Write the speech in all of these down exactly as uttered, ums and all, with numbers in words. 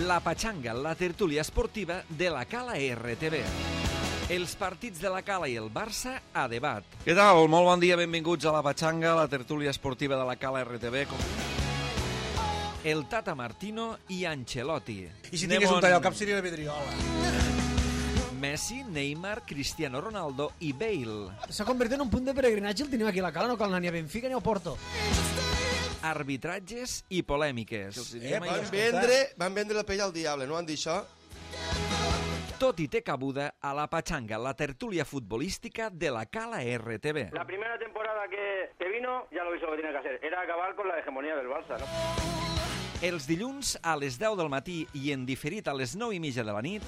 La Patxanga, la tertúlia esportiva de la Cala R T V. Els partits de la Cala i el Barça a debat. Què tal? Molt bon dia, benvinguts a la Patxanga, la tertúlia esportiva de la Cala R T V. El Tata Martino i Ancelotti. I si tingués un tall al cap seria la Vidriola. Messi, Neymar, Cristiano Ronaldo i Bale. S'ha convertit en un punt de peregrinatge, el tenim aquí a la Cala, no cal anar ni a Benfica ni a Porto. Arbitratges i polèmiques. Eh, van, vendre, van vendre la pell al diable, no han dit això? Tot i té cabuda a la Patxanga, la tertúlia futbolística de la Cala R T V. La primera temporada que, que vino, ya lo hizo lo que tenía que hacer, era acabar con la hegemonía del Barça, ¿no? Els dilluns a les deu del matí i en diferit a les nou i mitja de la nit,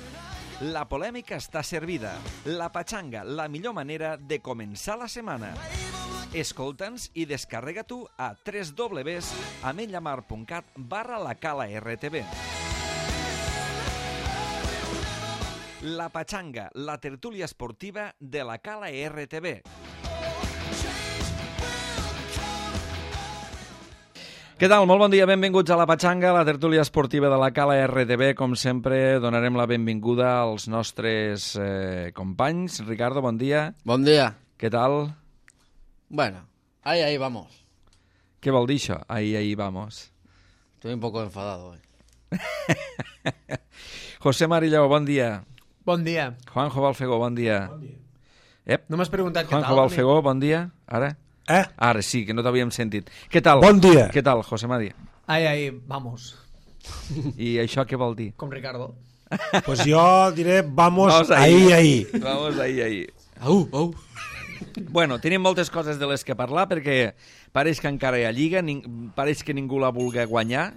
la polèmica està servida. La Patxanga, la millor manera de començar la setmana. Escolta'ns i descarrega tu a w w w punt ametlla mar punt cat barra la Cala R T V. La Patxanga, la tertúlia esportiva de la Cala R T V. Què tal? Molt bon dia, benvinguts a la Patxanga, la tertúlia esportiva de la Cala R T V. Com sempre, donarem la benvinguda als nostres eh, companys. Ricardo, bon dia. Bon dia. Què tal? Bueno, ahí, ahí vamos. Què vol dir això? Ahí, ahí vamos. Estoy un poco enfadado hoy. José Marilló, bon dia. Bon dia. Juanjo Balfegó, bon dia. Bon dia. Ep. No m'has preguntat què tal. Juanjo Balfegó, bon dia. Ara? Eh? Ara sí, que no t'havíem sentit. Què tal? Bon dia. Què tal, José Mari? Ahí, ahí, vamos. I això què vol dir? Com Ricardo. Pues jo diré vamos, Vamos ahí, ahí. Vamos ahí, ahí. Au, au. Bueno, tenim moltes coses de les que parlar perquè pareix que encara hi ha Lliga, ning... pareix que ningú la vulgui guanyar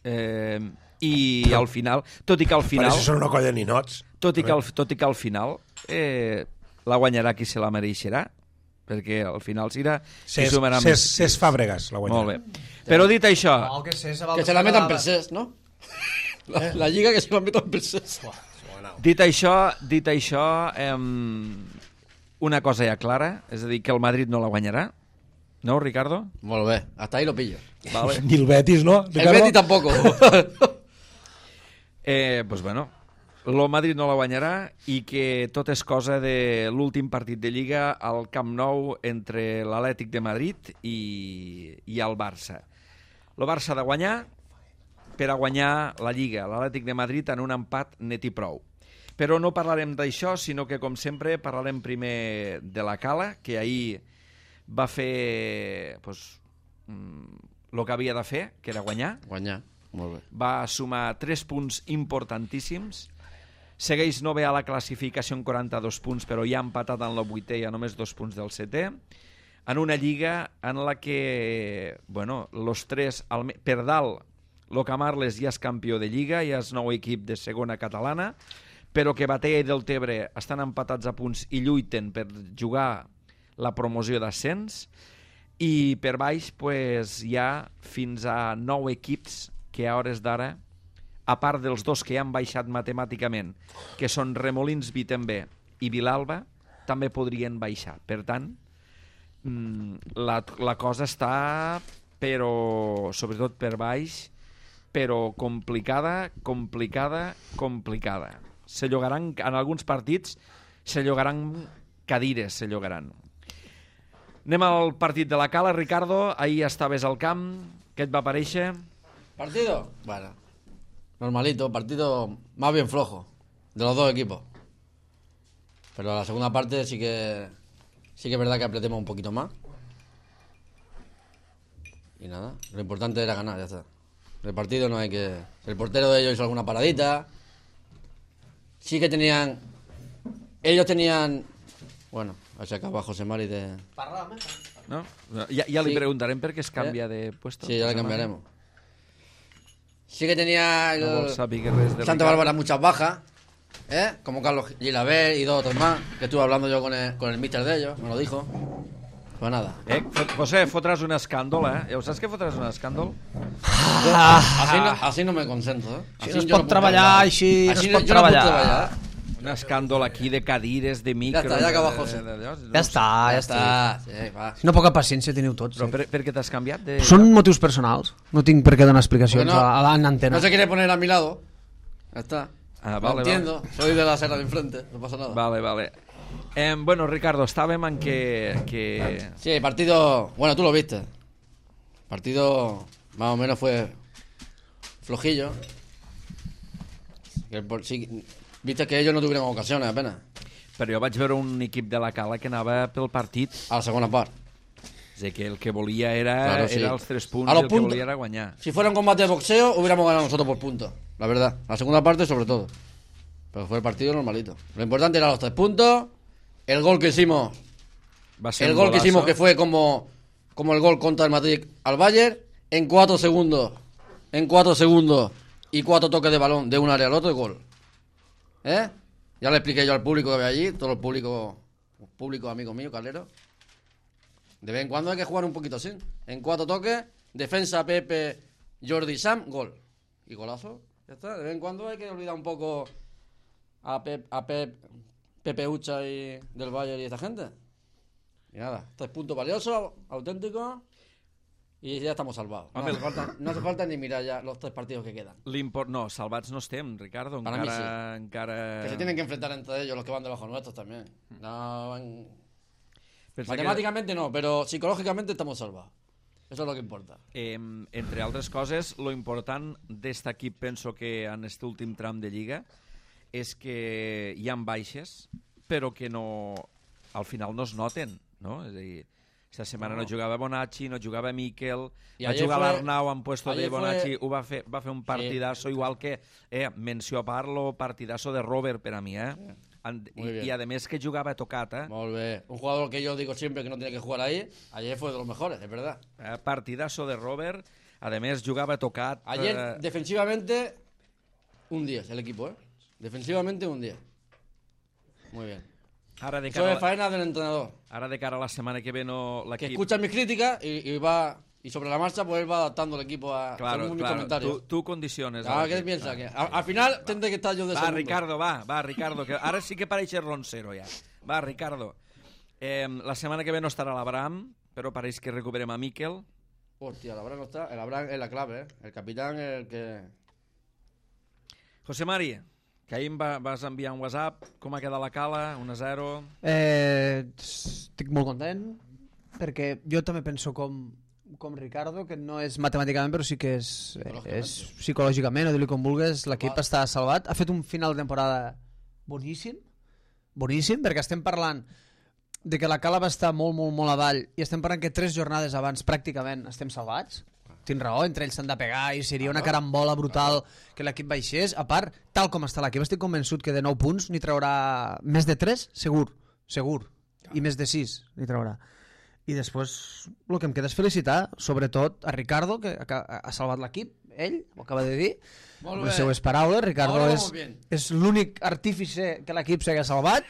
eh, i al final, tot i que al final... Pareix que són una colla de ninots. Tot i que al, tot i que al final eh, la guanyarà qui se la mereixerà, perquè al final serà... Cés, Cés, Cés Fàbregas la guanyarà. Molt bé. Però dit això... No, que, sé, se, Que se la metan per Cés, no? La, la lliga que se la metan per Cés. Dit això, dit això eh, una cosa ja clara, és a dir, que el Madrid no la guanyarà. No, Ricardo? Molt bé, hasta ahí lo pillo. Vale. Ni el Betis, no? El Betis tampoco. eh, pues bueno, el Madrid no la guanyarà i que tot és cosa de l'últim partit de Lliga al Camp Nou entre l'Atlètic de Madrid i, i el Barça. El Barça ha de guanyar per a guanyar la Lliga, l'Atlètic de Madrid en un empat net i prou. Però no parlarem d'això, sinó que, com sempre, parlarem primer de la Cala, que ahir va fer pues, el que havia de fer, que era guanyar. Guanyar, molt bé. Va sumar tres punts importantíssims. Segueix no bé a la classificació en quaranta-dos punts, però ja ha empatat en la vuitè i a només dos punts del setè. En una lliga en la que, bueno, los tres, per dalt, lo Camarles ja és campió de Lliga, ja és nou equip de segona catalana, però que Batea i Deltebre estan empatats a punts i lluiten per jugar la promoció d'ascens, i per baix pues, hi ha fins a nou equips que a hores d'ara, a part dels dos que ja han baixat matemàticament, que són Remolins Vitembe i Vilalba, també podrien baixar. Per tant, la, la cosa està, però sobretot per baix, però complicada, complicada, complicada. Se llogaran, en alguns partits, se llogaran cadires, se llogaran. Anem al partit de la Cala. Ricardo, ahir estaves al camp, què et va aparèixer? ¿Partido? Bueno, normalito, partido más bien flojo, de los dos equipos. Pero la segunda parte sí que sí que es verdad que apretemos un poquito más. Y nada, lo importante era ganar, ya está. El partido no hay que... El portero de ellos hizo alguna paradita. Sí que tenían... Ellos tenían... Bueno, se acaba José Mari de... No? Ja, ja li Sí. preguntarem per què es canvia de puesto. Sí, ya le cambiaremos. Sí que tenía el... No vol saber res de Santa Ricardo. Bárbara muchas bajas, ¿eh? Como Carlos Gilaver y dos otros más, que estuve hablando yo con el, con el míster de ellos, me lo dijo. Pues nada. Eh, José, fotràs un escàndol, eh? Ja ho saps que fotràs un escàndol? Así no, así no me concentro, ¿eh? Així Así no es yo pot puc treballar, parlar. així no Así es pot yo no puc treballar. treballar. Un escàndol aquí de cadires, de micros... Ja està, ja acaba José. Ja està, ja està. Sí, va. Si no, poca paciència teniu tots. Però Eh? per, per què t'has canviat? De... Són motius personals. No tinc per què donar explicacions Porque no- a, a l'antena. No se quiere poner a mi lado. Ya está. Ah, Lo vale, entiendo. Soy de la serra de enfrente. No pasa nada. Vale, vale. Eh, bueno, Ricardo, estàvem en que... que... Sí, el partido... Bueno, tú lo viste. El partido más o menos fue flojillo. Que por- sí, viste que ellos no tuvieron ocasiones apenas. Però jo vaig veure un equip de la Cala que anava pel partit. A la segunda parte. És a dir, que el que volia era, Claro, sí. era els tres punts A i los el que puntos. volia era guanyar. Si fuera un combate de boxeo, hubiéramos ganado nosotros por puntos. La verdad. La segunda parte, sobre todo. Pero fue el partido normalito. Lo importante eran los tres puntos. El gol que hicimos. Va ser El un gol que golazo. hicimos que fue como, como el gol contra el Madrid al Bayern. En cuatro segundos. En cuatro segundos. Y cuatro toques de balón de un área al otro y gol. ¿Eh? Ya le expliqué yo al público que había allí. Todo el público. Público amigo mío, Calero. De vez en cuando hay que jugar un poquito así. En cuatro toques. Defensa, Pepe, Jordi, Sam, gol. Y golazo. Ya está. De vez en cuando hay que olvidar un poco a Pep, a Pep, Pepe Ucha y del Bayern y esta gente. Y nada, tres puntos valiosos, auténticos. Y ya estamos salvados. No hace, falta, no hace falta ni mirar ya los tres partidos que quedan. L'import... No, salvats no estem, Ricardo. Para Encara... mí encara... Que se tienen que enfrentar entre ellos los que van debajo nuestros también. No, van- Pensa que, Matemáticamente no, pero psicológicamente estamos salvados. Eso es lo que importa. eh, entre altres coses, lo important d'est equip, penso que en aquest últim tram de Lliga, és que hi ha baixes, però que no, al final no es noten, no? És a dir, esta setmana no, no jugava Bonacci, no jugava Miquel, I va ayer jugar fue- l'Arnau en puesto de ayer fue- Bonacci, ho va fer, va fer un partidazo, igual que, eh, menció a part, lo partidazo de Robert per a mi, eh? And, Muy i, bien. I a més que jugava tocat, eh? Molt bé. Un jugador que yo digo siempre que no tiene que jugar ahí, ayer fue de los mejores, es verdad. Eh, partidazo de Robert, a més jugava tocat. Ayer, eh, defensivamente, un diez el equipo, ¿eh? Defensivamente, un diez. Muy bien. ara, de Eso cara es a, faena del entrenador. ara de cara a la setmana que ve no Que l'equip... escucha mis críticas y, y va y sobre la marcha pues él va adaptando el equipo a Claro, según mis claro, comentarios. tú, tú condiciones. Ah, a ¿qué l'equip, piensa? clar. Que a- al final tendré que estar yo de Va, segundo. Ricardo, va, va, Ricardo, que ara sí que pareix roncero ja. Va, Ricardo. Eh, la setmana que ve no estarà l'Abraham, però pareix que recuperem a Miquel. Hostia, el Abraham no está. El Abraham es la clave, ¿eh? El capitán es el que... José Mari, que ahir em va, vas enviar un WhatsApp, com ha quedat la cala, un a zero... Eh, estic molt content, perquè jo també penso com, com Ricardo, que no és matemàticament, però sí que és, eh, és psicològicament, o dir-li com vulgues, l'equip està salvat. Ha fet un final de temporada boníssim, boníssim, perquè estem parlant de que la cala va estar molt, molt, molt avall, i estem parlant que tres jornades abans pràcticament estem salvats. Tens raó, entre ells s'han de pegar i seria una carambola brutal que l'equip baixés. A part, tal com està l'equip, estic convençut que de nou punts n'hi traurà més de tres, segur, segur, i més de sis n'hi traurà. I després el que em queda és felicitar, sobretot a Ricardo, que ha, ha salvat l'equip, ell, ho acaba de dir, Molt amb bé. les seues paraules. Ricardo Ahora és, vamos bien. és l'únic artífice que l'equip s'ha salvat.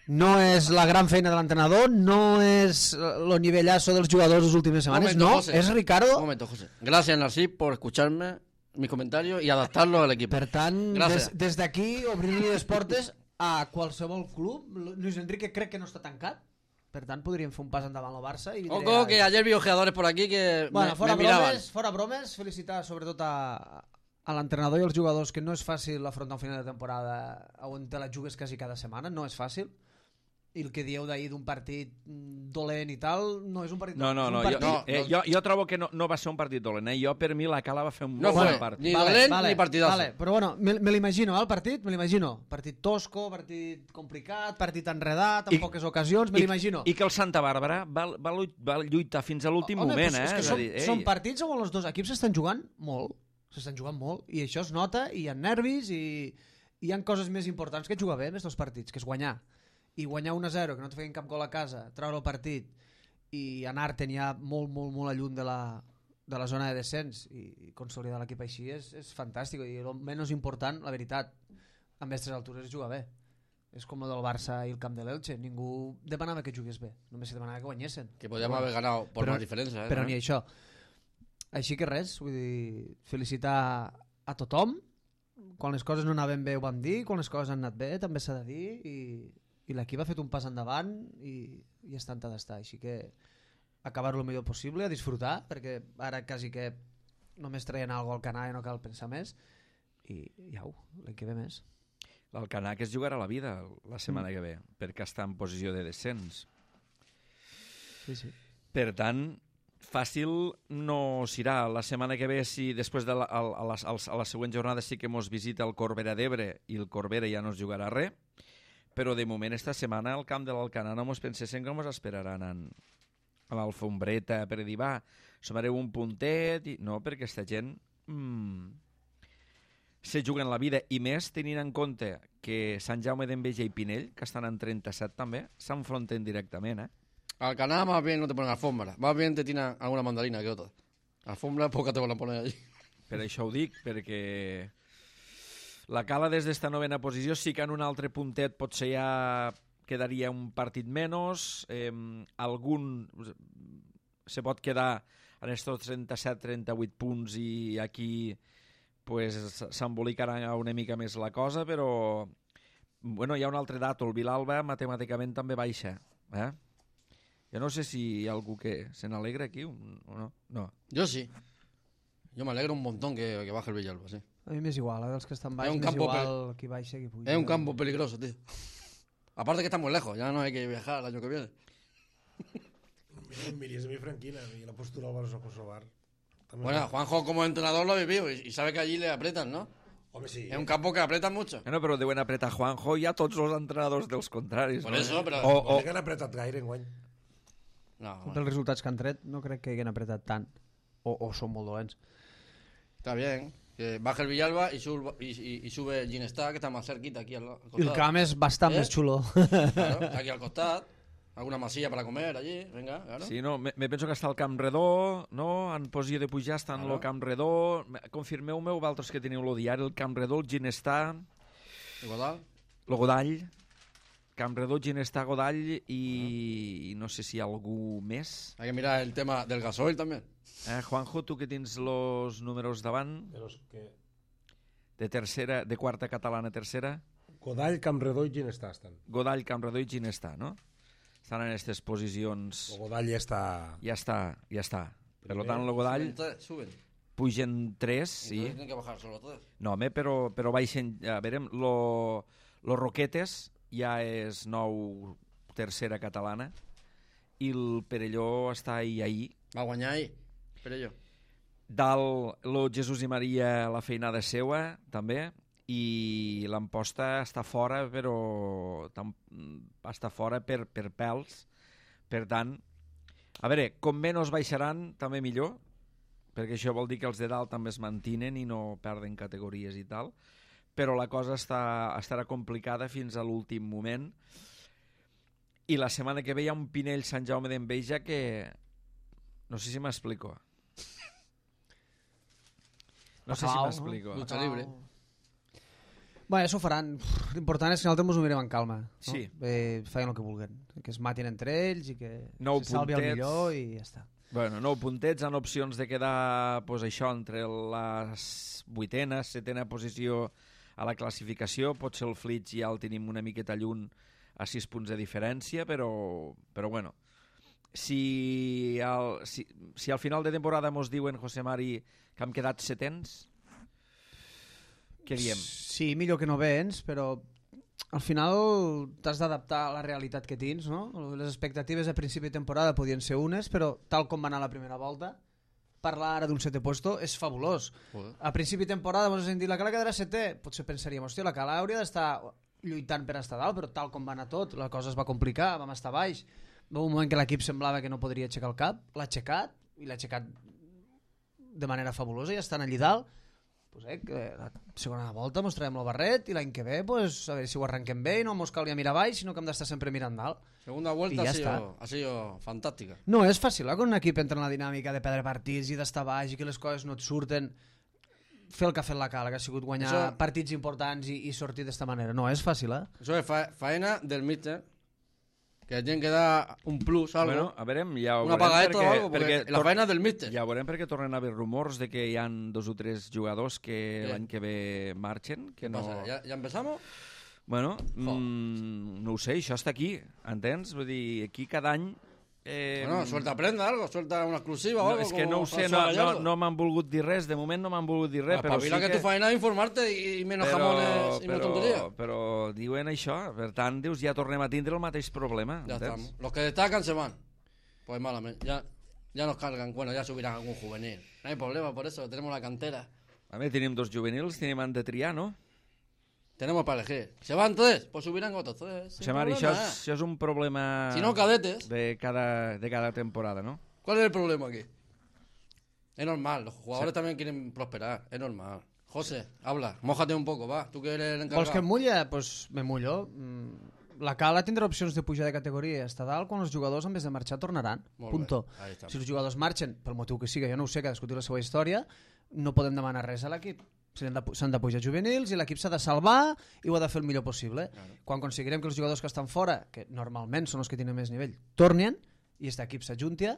No és la gran feina de l'entrenador, no és el nivellazo dels jugadors les últimes setmanes, Momento, no, José. és Ricardo. Un momento, José. Gracias, Narcís, por escucharme mis comentarios y adaptarlos al equipo. Per tant, Gràcies. des, des d'aquí obrir-li les portes a qualsevol club. Luis Enrique crec que no està tancat, per tant podríem fer un pas endavant al Barça. I vindré Ojo, a- que ayer vi ojeadores por aquí que Bueno, me, fora me miraban. bromes, fora bromes, felicitar sobretot a, a l'entrenador i als jugadors, que no és fàcil afrontar un final de temporada on te la jugues quasi cada setmana, no és fàcil. I el que dieu d'ahir d'un partit mm, dolent i tal, no és un partit No, no, és un no, jo, partit... no, eh, jo, jo trobo que no, no va ser un partit dolent, eh? Jo, per mi, la cala va fer un No molt fue bon partit. ni dolent ni partidazo. Vale, però bueno, me, me l'imagino, eh, el partit, me l'imagino. Partit tosco, partit complicat, partit enredat, amb I- poques ocasions, me I, l'imagino. I que el Santa Bàrbara va, va, lu- va lluitar fins a l'últim Home, moment, pues eh? és que És a són, dir, ei, són partits on els dos equips s'estan jugant molt, s'estan jugant molt, i això es nota, i hi ha nervis, i, i hi ha coses més importants que jugar bé en aquests partits, que és guanyar. I guanyar un a zero, que no et feien cap gol a casa, treure el partit i anar-te'n ja molt, molt, molt a lluny de la, de la zona de descens i, i consolidar l'equip així és, és fantàstic. I el menys important, la veritat, amb aquestes altures és jugar bé. És com el del Barça i el camp de l'Elche. Ningú demanava que jugués bé, només se demanava que guanyessin. Que podíamos haber ganado por Però- más diferencia. ¿eh? Però ni això. Així que res, vull dir, felicitar a tothom, quan les coses no anaven bé ho vam dir, quan les coses han anat bé també s'ha de dir, i, i l'equip ha fet un pas endavant i, i està on ha d'estar, així que acabar-ho el millor possible, a disfrutar, perquè ara quasi que només traien alguna al canà i no cal pensar més, i, i au, l'any que ve més. L'Alcanar que es jugarà la vida la setmana mm. que ve, perquè està en posició de descens. Sí, sí. Per tant, fàcil no serà. La setmana que ve, si després de la, a, a, la, a la següent jornada sí que mos visita el Corbera d'Ebre i el Corbera ja no es jugarà res, però de moment esta setmana al camp de l'Alcanar no mos pensessin que mos esperaran en, a l'Alfombreta per dir, va, sumareu un puntet, i... no, perquè aquesta gent mmm, se juguen la vida, i més tenint en compte que Sant Jaume d'Enveja i Pinell, que estan en trenta-set també, s'enfronten directament, eh? Alcanar más bien no te ponen alfombra, más bien te tiran alguna mandarina que otra. Alfombra poca te van a poner allí. Per això ho dic, perquè la Cala des d'esta novena posició sí que en un altre puntet potser ja quedaria un partit menys, eh, algun se pot quedar en estos trenta-set trenta-vuit punts i aquí pues, s'embolicarà una mica més la cosa, però bueno, hi ha un altre dato, el Vilalba matemàticament també baixa, eh? Jo no sé si hi ha algú que se n'alegra aquí o no. no. Yo sí. Yo me alegro un montón que, que baje el Villalba, sí. A mi m'és igual, eh? Dels que estan baix, un m'és igual pel... qui baixa, qui puja. Es un campo peligroso, tío. Aparte que está muy lejos, ya no hay que viajar el año que viene. Miris a mi Franquina y la postura del Barça Kosovar. Bueno, Juanjo como entrenador lo ha vivido y, y sabe que allí le apretan, ¿no? Hombre, sí. Es un campo que apretan mucho. No, però deuen apretar Juanjo i a tots els entrenadors dels contraris. Por no? eso, pero... O, o... No sé que han apretat gaire enguany. No, Bueno. bueno. Dels resultats que han tret no crec que hagin apretat tant, o, o són molt dolents. Está bien. Que baje el Villalba y, sube, y, y, y sube el Ginestá, que está más cerquita aquí al, al costado. I el camp és bastant ¿Eh? més xulo. Claro, aquí al costado. Alguna masilla para comer allí, venga, claro. Sí, no, me, me penso que està el Camp Redó, no? En posició de pujar està en Claro. el Camp Redó. Confirmeu-me, vosaltres que teniu el diari, el Camp Redó, el Ginestà, ¿Y Godal? el Godall, Camp Redó, Ginestà, Godall i, i no sé si hi ha algú més. Hay que mirar el tema del gasoil también. Eh, Juanjo, tu que tens els números davant, De los que... de tercera, de quarta catalana tercera, Godall, Campredó i Ginestà estan. Godall, Camp Redó i Ginestà, no? Estan en aquestes posicions... El Godall ja està... Ja està, ja està. Per Primer, tant, el Godall Suben, tres, suben. pugen tres, sí. Entonces tienen que bajar solo tres. No, home, però, però baixen... A veure, lo, lo Roquetes ja és nou tercera catalana i el Perelló està ahí, ahí. Va a guanyar ahí, Perelló. Dalt, lo Jesús i Maria, la feinada seua, també, i l'Amposta està fora, però tam, està fora per, per pèls. Per tant, a veure, com menys baixaran, també millor, perquè això vol dir que els de dalt també es mantinen i no perden categories i tal, però la cosa està, estarà complicada fins a l'últim moment. I la setmana que ve hi ha un Pinell Sant Jaume d'Enveja que... No sé si m'explico. No sé si Bacalao, m'explico. Lucha libre. Bueno, això ho faran. L'important és que nosaltres ens ho mirem en calma. No? Sí. Eh, feien el que vulguen. Que es matin entre ells i que Nou se salvi el puntets. millor i ja està. Bueno, nou puntets, han opcions de quedar pues, això entre la vuitena, setena posició a la classificació. Potser el Flitx ja el tenim una miqueta lluny a sis punts de diferència, però, però bueno, si al, si, si al final de temporada mos diuen, José Mari, que hem quedat setens, què diem? Sí, millor que no vens, però al final t'has d'adaptar a la realitat que tens, no? Les expectatives a principi de temporada podien ser unes, però tal com va anar la primera volta, parlar ara d'un setè puesto és fabulós. Joder. A principi de temporada mos hem dit la Cala quedarà setè, potser pensaríem, hòstia, la Cala hauria d'estar lluitant per estar dalt, però tal com va anar tot, la cosa es va complicar, vam estar baix. Va un moment que l'equip semblava que no podria aixecar el cap, l'ha aixecat, i l'ha aixecat de manera fabulosa, i estan allí dalt. Pues, eh, que la segona volta mos traiem el barret i l'any que ve pues, a veure si ho arrenquem bé i no mos calia mirar baix, sinó que hem d'estar sempre mirant dalt. Segunda Y vuelta ya ha sido, está. ha sido fantástica. No és fàcil, eh, quan un equip entra en la dinàmica de perdre partits i d'estar baix i que les coses no et surten, fer el que ha fet la Cala, que ha sigut guanyar Això... partits importants i, i sortir d'esta manera. No és fàcil, eh? Eso es fa faena del míster Que le tienen que dar un plus, algo. Bueno, a veure, ja ho una veurem pagadeta perquè, o algo, porque perquè la tor- faena és del míster. Ja ho veurem perquè tornen a haver rumors de que hi han dos o tres jugadors que Sí. l'any que ve marxen, que ¿Qué no... pasa? ¿Ya, ¿Ya empezamos? Bueno, mm, no ho sé, això està aquí, entens? Vull dir, aquí cada any... Eh, Bueno, suelta prenda, algo, suelta una exclusiva o no, algo. és que como no ho sé, François no, no, Gallardo. no m'han volgut dir res, de moment no m'han volgut dir res, però sí Espabila que... que tu faena es informarte y, y menos però, jamones y menos però, tonterías. però diuen això, per tant, dius, ja tornem a tindre el mateix problema, Ya entens? estamos. Los que destacan se van. Pues malamente. Ya, ya nos cargan. Bueno, ya subirán algún juvenil. No hay problema por eso. Tenemos la cantera. A veure, tenim dos juvenils, tenim han de triar, no? Tenemos para elegir. ¿Se van tres? Pues subirán otros tres. O sin sigui, Mari, això, problema, és, ¿eh? això és un problema Si no, cadetes. de cada, de cada temporada, no? ¿Cuál es el problema aquí? Es normal. Los jugadores también quieren prosperar. Es normal. José, habla. Mójate un poco, va. Tú que eres el encargado. Vols que em mulla? Doncs pues me mullo. Mm, La Cala tindrà opcions de pujar de categoria i estar dalt quan els jugadors, en vez de marxar, tornaran. Molt bé. Punto. Ahí està. Si els jugadors marxen, pel motiu que siga, jo no ho sé, cadascú té la seva història, no podem demanar res a l'equip. S'han de, s'han de pujar juvenils i l'equip s'ha de salvar i ho ha de fer el millor possible. Claro. Quan aconseguirem que els jugadors que estan fora, que normalment són els que tenen més nivell, tornin i aquest equip s'ajunti,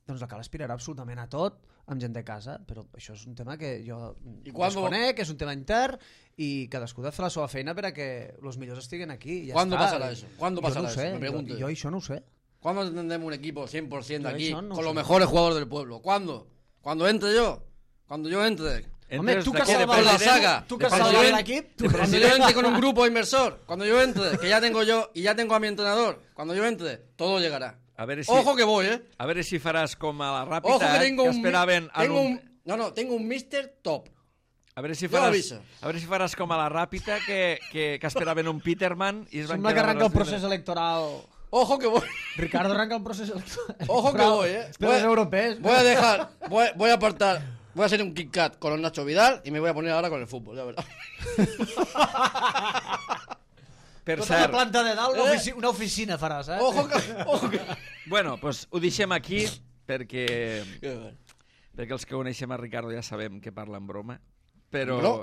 doncs la Cala aspirarà absolutament a tot amb gent de casa, però això és un tema que jo I quan desconec, és un tema intern i cadascú ha de fer la seva feina per a que els millors estiguen aquí. I ja ¿Cuándo està. pasará eso? ¿Cuándo Jo pasará no ho sé, eso? Me pregunto jo, yo. jo això no ho sé. ¿Cuándo tendremos un equipo cien por ciento Yo aquí eso no con sé. los mejores jugadores del pueblo? ¿Cuándo? ¿Cuando entre yo? Cuando yo entre. Home, Entres tu que d'aquí has de Con salvat la president, saga. tu que has Cuando salvat yo en- l'equip, tu Cuando yo entre con un grupo inversor, cuando yo entre, que ya tengo yo y ya tengo a mi entrenador, cuando yo entre, todo llegará. A veure si, Ojo que voy, ¿eh? a veure si faràs com a la ràpida, Ojo que tengo que un... esperaven... en Tengo un... un... No, no, tengo un mister top. A veure si Jo faràs, aviso. a veure si faràs com a la ràpida, que, que, que esperaven un Peterman i es van Sembla que quedar... arranca el amb les procés electoral. Ojo que voy. Ricardo arranca el procés electoral. Ojo que voy, ¿eh? Espera, los europeos. Voy a dejar, voy, voy a apartar, voy a hacer un Kit Kat con los Nacho Vidal y me voy a poner ahora con el fútbol, ya verás. Per Tota la cert, planta de dalt, una, Eh? ofici una oficina faràs, eh? Ojo que... Ojo que... bueno, pues ho deixem aquí, perquè, Qué bueno. perquè els que coneixem a Ricardo ja sabem que parla en broma, però... Bro.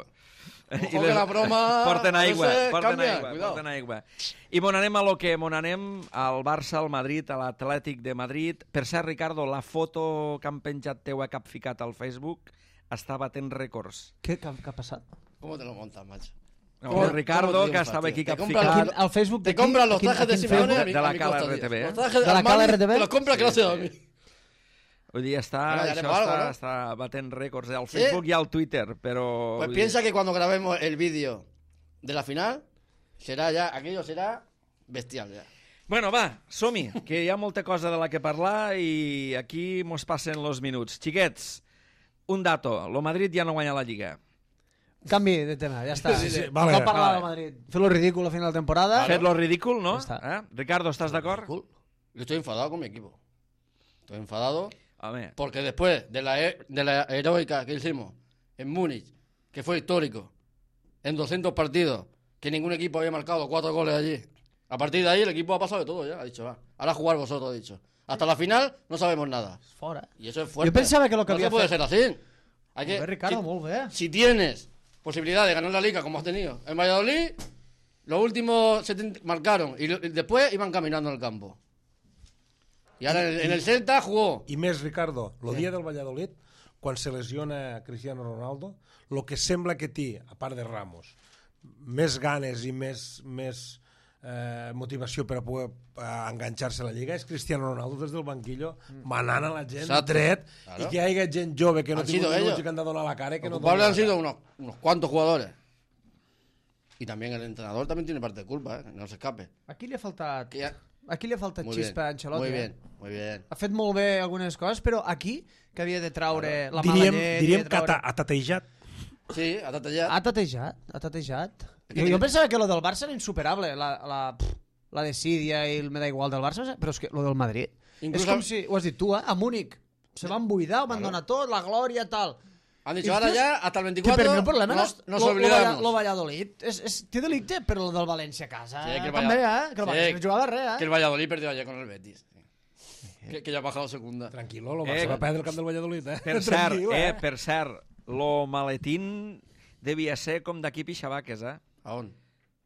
I Ojo que la broma porten a aigua, veces porten cambia, aigua, cuidado. porten aigua. I mon anem a lo que mon anem, al Barça, al Madrid, a l'Atlètic de Madrid. Per cert, Ricardo, la foto que han penjat teu a cap ficat al Facebook està batent rècords. Què, què, què ha passat? ¿Cómo te lo montas, macho? No, ¿Cómo- el Ricardo, cómo que triunfas, estava tío? aquí Te cap compras ficat. los- Al Facebook Te d'aquí, compras los a quin- trajes a de quin Simeone Facebook? a mi, De la a mi Cala costa, R T V, tío. ¿eh? Los trajes De la Armani, Cala R T V? te los compra que no se da a mí. Vull dir, està, Bueno, ya això haremos algo, està, ¿no? està batent rècords al ¿Sí? Facebook i al Twitter, però... Pues vull piensa dir, que cuando grabemos el vídeo de la final, será ya, aquello será bestial ya. Bueno, va, som-hi, que hi ha molta cosa de la que parlar i aquí mos passen los minuts. Xiquets, un dato, lo Madrid ja no guanya la Lliga. Canvi de tema, ja està. Sí, sí, vale. no parlar Vale. del Madrid. Fer-lo ridícul a final de temporada. Fet lo ridícul, no? Ja està. Eh? Ricardo, ¿estàs d'acord? Cool. Yo estoy enfadado con mi equipo. Estoy enfadado Home, porque después de la, he- de la heroica que hicimos en Múnich, que fue histórico, en doscientos partidos, que ningún equipo había marcado cuatro goles allí. A partir de ahí el equipo ha pasado de todo ya, ha dicho, va. Ahora jugar vosotros, ha dicho. Hasta la final no sabemos nada. Fora. Y eso es fuerte. Jo pensava que lo que no havia se puede fet- ser así. Hay que, Molt bé, Ricardo, si, molt bé. si tienes posibilidad de ganar la Liga como has tenido en Valladolid, los últimos setenta marcaron y, lo- y después iban caminando en el campo. Y ahora en, el- en el Celta jugó. I més, Ricardo, el dia del Valladolid, quan se lesiona Cristiano Ronaldo, el que sembla que té, a part de Ramos, més ganes i més, més eh, motivació per a poder eh, enganxar-se a la Lliga és Cristiano Ronaldo des del banquillo manant a la gent Exacto. dret Claro. i que hi hagi gent jove que no Han tingui sido minuts ellos. i que han de donar la cara i que Los no culpables donen han la sido cara. unos, unos cuantos jugadores. Y también el entrenador también tiene parte de culpa, ¿eh? No se escape. Aquí li ha faltat... Que ya- Aquí li ha faltat Muy xispa a bien, Ancelotti. muy eh? bien, muy bien. Ha fet molt bé algunes coses, però aquí, que havia de traure la mala Diríem, llet... diríem havia de que ha traure... ta- ha tatejat. Sí, ha tatallado. Ha tatejat, ha tatejat. que Jo, tiene- jo pensava que lo del Barça era insuperable, la, la, pff, la desídia i el me da igual del Barça, però és que lo del Madrid... Incluso- és com si, ho has dit tu, eh? A Múnich. Se van buidar, ho van donar tot, la glòria, tal. Han dicho, Y ahora es que- ya, hasta el Que veinticuatro, per mi el problema no, no, és nos lo, lo, olvidamos. Valla- lo Valladolid. És, és, té delicte, però lo del València a casa Sí, que el també, Valla- eh? Que el Sí, València no jugava res, Que el eh? Valladolid perdió ayer con el Betis. Que, que ya ha bajado a segunda. Tranquilo, lo Eh, se va perdre el camp del Valladolid, eh? per cert, Tranquil, eh, per cert, lo maletín devia ser com d'aquí Pixabaques, eh? ¿A on?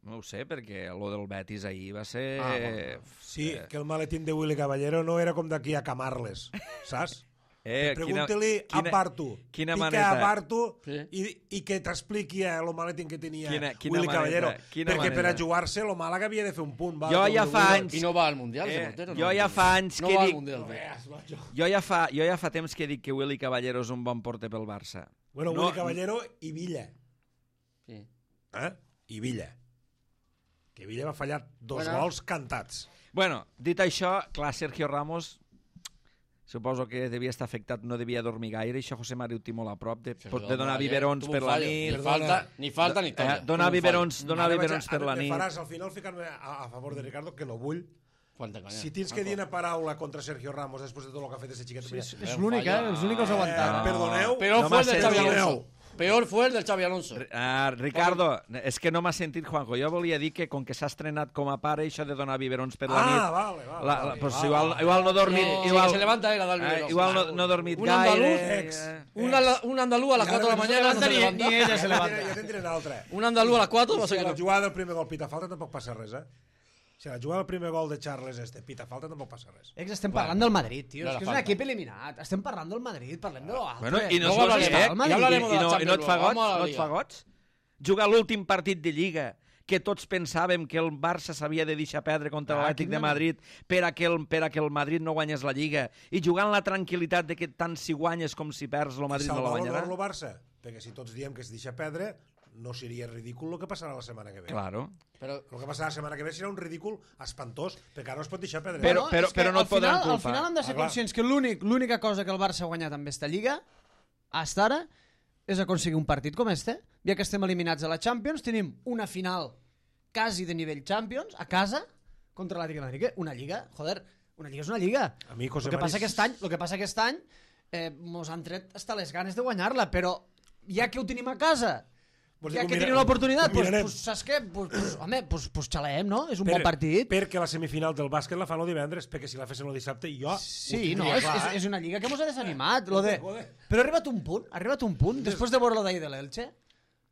No ho sé, perquè lo del Betis ahir va ser... Ah, bueno. Sí, que el maletín de Willy Caballero no era com d'aquí a Camarles, saps? Eh, Pregunta-li a Bartu. Quina Pica maneta. a Bartu Sí. i, i que t'expliqui el maletín que tenia Quina- quina Willy maneta, Caballero. quina Perquè per a maneta. jugar-se, lo Màlaga havia de fer un punt. Va, Jo com ja el fa Willy. anys- I no va al Mundial, Eh, ese portero. jo no. ja fa anys no que va al dic... Mundial. Jo ja, fa, jo ja fa temps que dic que Willy Caballero és un bon porter pel Barça. Bueno, No- Willy Caballero i Villa. Sí. Eh? I Villa. Que Villa va fallar dos Bueno. gols cantats. Bueno, dit això, clar, Sergio Ramos suposo que devia estar afectat, no devia dormir gaire, això José Mari ho té molt a prop, de, Sí, de donar ayer biberons tuvo per un la fallo. nit, Ni falta, ni falta ni eh, tolla. donar Tuvo un fallo. biberons, donar Ara vaig biberons a- per la me nit. faràs al final ficar-me a, a favor de Ricardo, que no vull. Quanta conya. Si tens que dir una paraula contra Sergio Ramos després de tot el que ha fet aquest xiquet... Sí, és, mira, és l'únic, eh? És l'únic que els ha aguantat. eh, perdoneu, Peor No fue el m'ha del Xavi sentit. Alonso. Peor fue el del Xavi Alonso. Ah, Ricardo, és que no m'ha sentit, Juanjo. Jo volia dir que, com que s'ha estrenat com a pare, això de donar biberons per la Ah, nit... vale, vale, la, la, vale. pues Ah, igual, vale. igual no he dormit... No, igual, sí, que se levanta él a dar el eh, biberón. igual no, no he dormit Un gaire... andaluz, ex. eh. Un, ala- un andaluz a las I cuatro de ara la no se mañana no se levanta ni- levanta. ni ella se levanta. Ja te'n diré una altra. Un andaluz a las cuatro va a Si ser a que la no. jugada del primer gol pita falta tampoc passa res, eh? Si a la jugada del primer gol de Charles este pita falta tampoc passa res. Ex, estem parlant del Madrid, tio. no És la que és un falta. equip eliminat. Estem parlant del Madrid, parlem de l'altre. Bueno, i no Luego es hablaremos, eh? ya hablaremos de I, la no, i no et Champions, fa goig? vamos a la No et Liga. fa goig? Jugar l'últim partit de Lliga que tots pensàvem que el Barça s'havia de deixar perdre contra Ah, l'Atlètic quina de Madrid per a, que el, per a que el Madrid no guanyés la Lliga i jugant la tranquil·litat de que tant si guanyes com si perds el Madrid no la Salvar guanyarà. l'honor el Barça, perquè si tots diem que es deixa perdre, no seria ridícul el que passarà la setmana que ve. Claro. Pero El que passarà la setmana que ve serà un ridícul espantós, perquè ara no es pot deixar perdre. Però- és que però no al et podran final, Al culpar. final hem de ser Ah, clar. conscients que l'únic l'única cosa que el Barça ha guanyat amb esta Lliga, hasta ara, és aconseguir un partit com este. Ja que estem eliminats a la Champions, tenim una final quasi de nivell Champions, a casa, contra l'Atlètic de Madrid. Que Una Lliga, joder, una Lliga és una Lliga. A mi, José el que Mari, passa aquest any, el que passa aquest any eh, mos han tret hasta les ganes de guanyar-la, però ja que ho tenim a casa, Vols ja dir que ho mira- tenim l'oportunitat, ho pues, mirarem. pues, saps què? Pues, pues, home, pues, pues xaleem, no? És un Per- bon partit. Perquè la semifinal del bàsquet la fan el divendres, perquè si la fessin el dissabte, jo ho Sí, tindria no, és, clar, és, eh? és una lliga que mos ha desanimat. Lo de... Joder. Però ha arribat un punt, ha arribat un punt, després de veure lo d'ahir de l'Elche,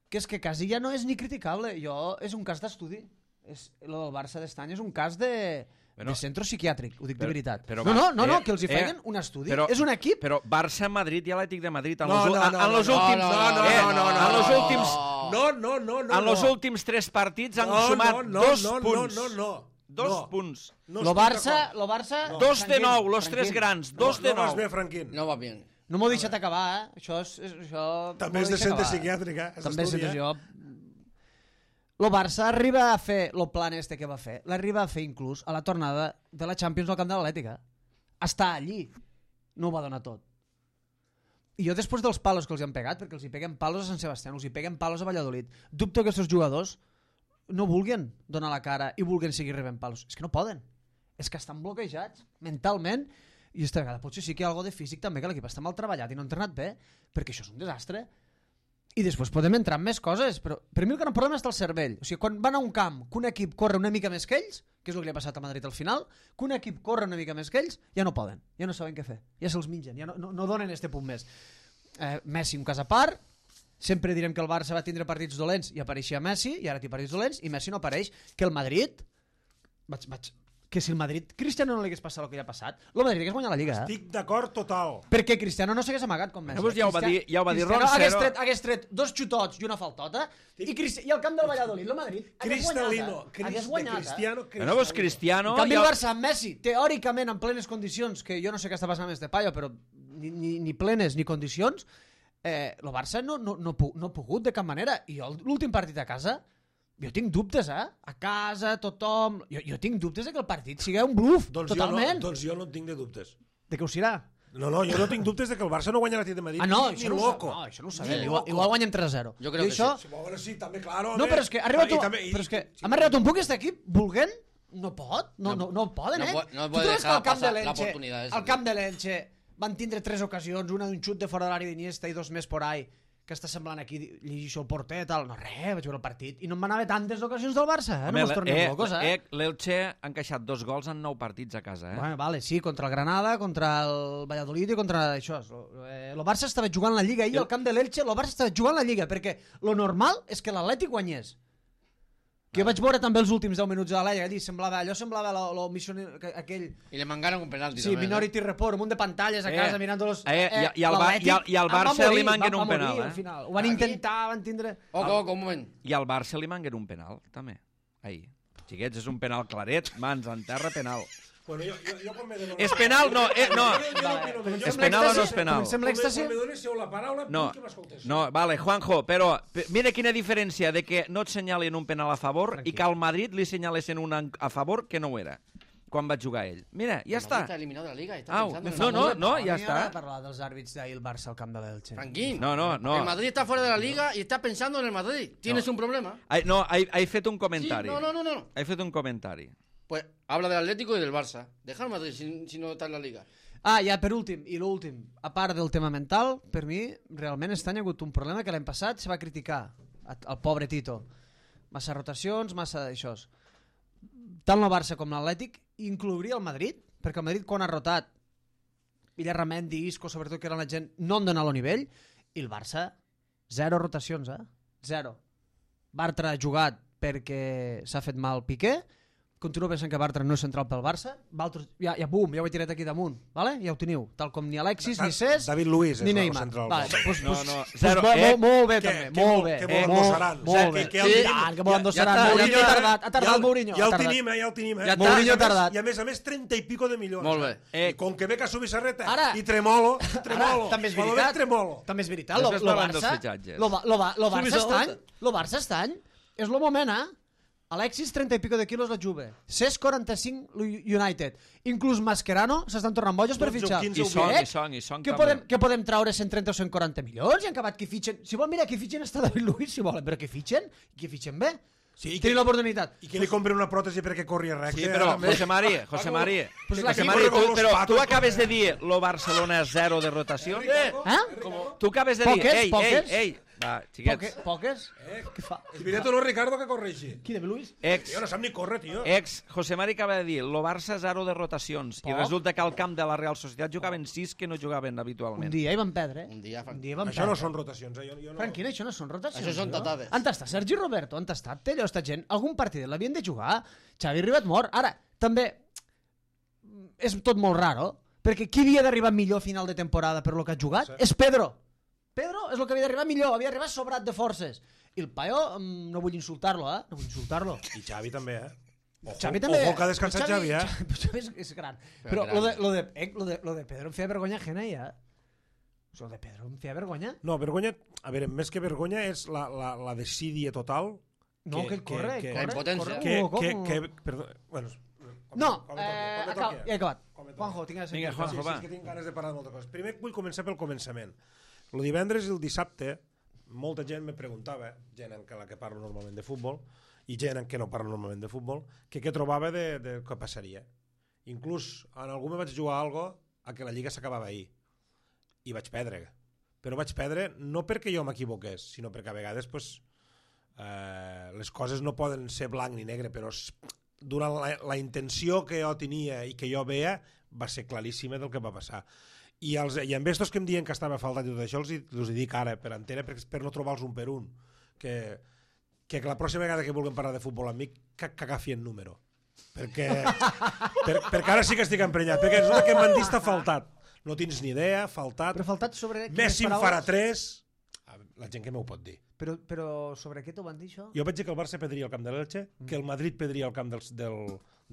que és que quasi ja no és ni criticable. Jo, és un cas d'estudi. És, lo del Barça d'estany és un cas de, Bueno, de centre psiquiàtric, ho dic però- de veritat. però no, va- no, no, no, eh, que els hi eh, feien un estudi. però- és un equip... Però Barça, Madrid i Atlètic de Madrid en No, los, no, en, no, en los no, últims no, no, eh, no, no, no, en los no. últims No, no, no, no. en los no. últims tres partits han no, sumat no, no, dos no, punts. No, no, no. Dos no. punts. No lo estic Barça, d'acord. lo Barça... No. Dos de tranquil, nou, los tranquil. tres grans, dos no, de no vas nou. bé, Franquín. no va bien. No m'ho he deixat acabar, eh? Això és... és això També m'ho és he de deixat centre acabar. psiquiàtric, eh? És També és estudi, de eh? jo. Lo Barça arriba a fer el plan este que va fer, l'arriba a fer inclús a la tornada de la Champions al camp de l'Atlètica. Està allí. No ho va donar tot. I jo després dels palos que els hi han pegat, perquè els hi peguen palos a Sant Sebastián, els hi peguen palos a Valladolid, dubto que aquests jugadors no vulguin donar la cara i vulguin seguir rebent palos. És que no poden. És que estan bloquejats mentalment i esta vegada potser sí que hi ha algo de físic també, que l'equip està mal treballat i no ha entrenat bé, perquè això és un desastre. I després podem entrar en més coses, però per mi el gran problema està el cervell. O sigui, quan van a un camp que un equip corre una mica més que ells, que és el que li ha passat a Madrid al final, que un equip corre una mica més que ells, ja no poden, ja no saben què fer, ja se'ls mengen, ja no, no, no donen este punt més. Eh, Messi un cas a part, sempre direm que el Barça va tindre partits dolents i apareixia Messi, i ara té partits dolents i Messi no apareix, que el Madrid vaig, vaig, que si el Madrid Cristiano no li hagués passat el que li ha passat, el Madrid hagués guanyat la Lliga, eh? Estic d'acord total. Perquè Cristiano no s'hagués amagat com Messi. Llavors ja ho va dir- ja ho va dir Cristiano hagués Roncero. tret, hagués tret dos xutots i una faltota i, Cristi i al camp del Valladolid, el Madrid hagués guanyat. Cristalino. eh? Cris, Hagués de guanyat. eh? Cristiano, Bueno, pues Cristiano... En canvi, ja- el Barça amb Messi, teòricament en plenes condicions, que jo no sé què està passant amb este paio, però ni, ni, ni plenes ni condicions, eh, el Barça no, no, no, pu- no ha pogut de cap manera. I jo l'últim partit a casa, jo tinc dubtes, eh? A casa, tothom... Jo, jo tinc dubtes de que el partit sigui un bluff, Doncs jo, totalment. no, doncs jo no en tinc de dubtes. De què ho serà? No, no, jo no tinc dubtes de que el Barça no guanya l'Atlètic de Madrid. Ah, no, ni, això ni no, ho loco. sa- no, això no ho sabem. Ni Igual, loco. igual guanyem tres a zero. Jo crec I que això... Sí, bueno, sí, també, claro. No, però és que ha arribat, I un... també- i- però és que sí, hem arribat un punt que aquest equip, volent, no pot, no, no, no poden, No eh? pot- no Tu puede trobes que dejar al camp de pasar la l'Elche, oportunidad esa, al camp de l'Elche van tindre tres ocasions, una d'un xut de fora de l'àrea d'Iniesta i dos més por ahí, que està semblant aquí, llegir això el porter, tal, no res, vaig veure el partit, i no em van haver tantes ocasions del Barça, eh? No Home, mos tornem eh, locos, eh? eh, L'Elche ha encaixat dos gols en nou partits a casa, eh? Bueno, vale, sí, contra el Granada, contra el Valladolid i contra això. Eh, el Barça estava jugant la Lliga ahir al camp de l'Elche, el Barça estava jugant la Lliga, perquè lo normal és que l'Atlètic guanyés. Que jo vaig veure també els últims deu minuts de la Liga, semblava, allò semblava la missió aquell... I le mangaron un penalti. Sí, també, Minority eh? Report, un munt de pantalles a casa eh, mirant-los... Eh, eh, I al Barça li manguen un penal, eh? Al final. Ho van intentar, van tindre... Oco, oco, un moment. I al Barça li manguen un penal, també. Ahir. Xiquets, és un penal claret, mans en terra, penal. Bueno, jo, jo, jo quan me dono... És penal? No, eh, no. És penal o no és penal? Comencem l'èxtasi? Quan me donéssiu la paraula, no, vull que m'escoltés. No, vale, Juanjo, però mira quina diferència de que no et senyalen un penal a favor Tranquil. I que al Madrid li senyalessin un a favor que no ho era quan va jugar ell. Mira, ja està. Està eliminat de la Liga. Está Au, no, no, no, ja està. A parlar dels àrbits d'ahir el Barça al camp de l'Elche. Tranquil. No, no, no. El Madrid está fuera de la Liga y está pensando en el Madrid. Tienes no. un problema. Ai, no, he, he fet un comentari. Sí, no, no, no, no. He fet un comentari. Pues habla del Atlético y del Barça. Deja el Madrid si, si no está en la Liga. Ah, ja per últim, i l'últim, a part del tema mental, per mi, realment este any ha hagut un problema que l'any passat se va criticar, el pobre Tito. Massa rotacions, massa d'això. Tant el Barça com l'Atlètic inclouria el Madrid, perquè el Madrid quan ha rotat, Villarramendi, Isco, sobretot que eren la gent, no han donat el nivell, i el Barça, zero rotacions, eh? Zero. Bartra ha jugat perquè s'ha fet mal Piqué, continuo pensant que Bartra no és central pel Barça, Valtros, ja, ja bum, ja ho he tirat aquí damunt, vale? Ja ho teniu, tal com ni Alexis, ni Cés, David Luiz ni és Neymar. central. Vale, pues, no, pues, no, pues, zero, pues, eh? molt, molt bé Que, també, que molt vol- bé. que eh, vol molt, endossaran. molt O bé. sigui, que ja el Sí, tenim. ah, que vol Ja- endossaran. ja està, Mourinho ja ha està. tardat, ha tardat Ja el- Mourinho. Ja ha el tardat. tenim, eh, ja el tenim. Eh? Ja està. Mourinho I a ha més- tardat. I a més a més, trenta i pico de milions. Molt bé. Eh? I com que ve Casu Bissarreta Ara- i Tremolo, Tremolo. Ara, també és Quan lo veritat. ve Tremolo. També és veritat. Lo, Després lo parlem dels Barça, fitxatges. lo, Ba- lo, Ba- lo Barça Subis estany, a- lo Barça estany és el moment, eh? Alexis, trenta i pico de quilos la Juve. Cés, quaranta-cinc, United. Inclús Mascherano s'estan tornant bojos per dotze o fitxar. quinze I ho Song, Què? i Song, i Song Què també. podem, què podem traure cent trenta o cent quaranta milions i han acabat que fitxen? Si vol, mira, que fitxen està David Luiz, si volen, però que fitxen, i que fitxen bé. Sí, i que- Tenim l'oportunitat. I que li compren una pròtesi perquè corri recte. Sí, però, també. José María, José Paco- María, Pues José la- María, com tu, los però patos, tu acabes com- de dir lo Barcelona zero de rotació. Eh? Tu acabes de dir, Poques, ei, ei, poques. ei, va, Poque, xiquets, poques? Què fa? És veritat o no, Ricardo, que correixi? Qui, David Luiz? ex, Tio, no sap ni córrer, tio. ex, José María acaba de dir, lo Barça zero de rotacions, i Poc. resulta que al camp de la Real Societat jugaven sis que no jugaven Un habitualment. dia hi van perdre. Un dia, Frank. Un dia hi van Això no perdre. són rotacions, eh? Jo, jo no... Franquina, això no són rotacions. Això són no? tatades. Han tastat Sergi Roberto, han tastat Tello, esta gent. Algun partit l'havien de jugar. Xavi Ribat mort. Ara, també, és tot molt raro, perquè qui havia d'arribar millor a final de temporada per lo que ha jugat? Sí. És Pedro. Pedro és el que havia d'arribar millor, havia d'arribar sobrat de forces. I el Paio, mm, no vull insultar-lo, eh? No vull insultar-lo. I Xavi també, eh? Ojo, Xavi també... ojo que ha descansat Xavi, eh? Xavi, Xavi és, és gran. Però, gran. lo, de, lo, de, eh, lo, de, lo de Pedro em feia vergonya ajena, ja. Lo de Pedro em feia vergonya. No, vergonya... A veure, més que vergonya és la, la, la desídia total. No, que, ell corre, que, ell que, corre. La impotència. corre que, com- que, com- que, perdó, bueno, No, com me toqui, eh, com me acaba, toqui. ja he acabat. Com me toqui. Juanjo, tinc ganes de Vinga, sentir-te. Juanjo, Sí, sí, va. és que tinc ganes de parlar de moltes coses. Primer vull començar pel començament. El divendres i el dissabte, molta gent me preguntava, gent en la que parlo normalment de futbol, i gent en què no parlo normalment de futbol, que què trobava de, de què passaria. Inclús en algú me vaig jugar a algo a que la Lliga s'acabava ahir. I vaig perdre. Però vaig perdre no perquè jo m'equivoqués, sinó perquè a vegades pues, eh, les coses no poden ser blanc ni negre, però s- durant la, la intenció que jo tenia i que jo veia va ser claríssima del que va passar. I, els, i amb estos que em diuen que estava faltat i tot això els, hi- els hi dic ara per antena per, per no trobar-los un per un que, que la pròxima vegada que vulguin parlar de futbol amb mi que, que agafien número perquè, per, perquè ara sí que estic emprenyat perquè resulta que m'han dit està faltat no tens ni idea, faltat Però faltat sobre... Messi quines en farà paraules? tres la gent que m'ho pot dir. Però, però sobre què t'ho van dir, això? Jo vaig dir que el Barça perdria el camp de l'Elche, que el Madrid perdria el camp del, del,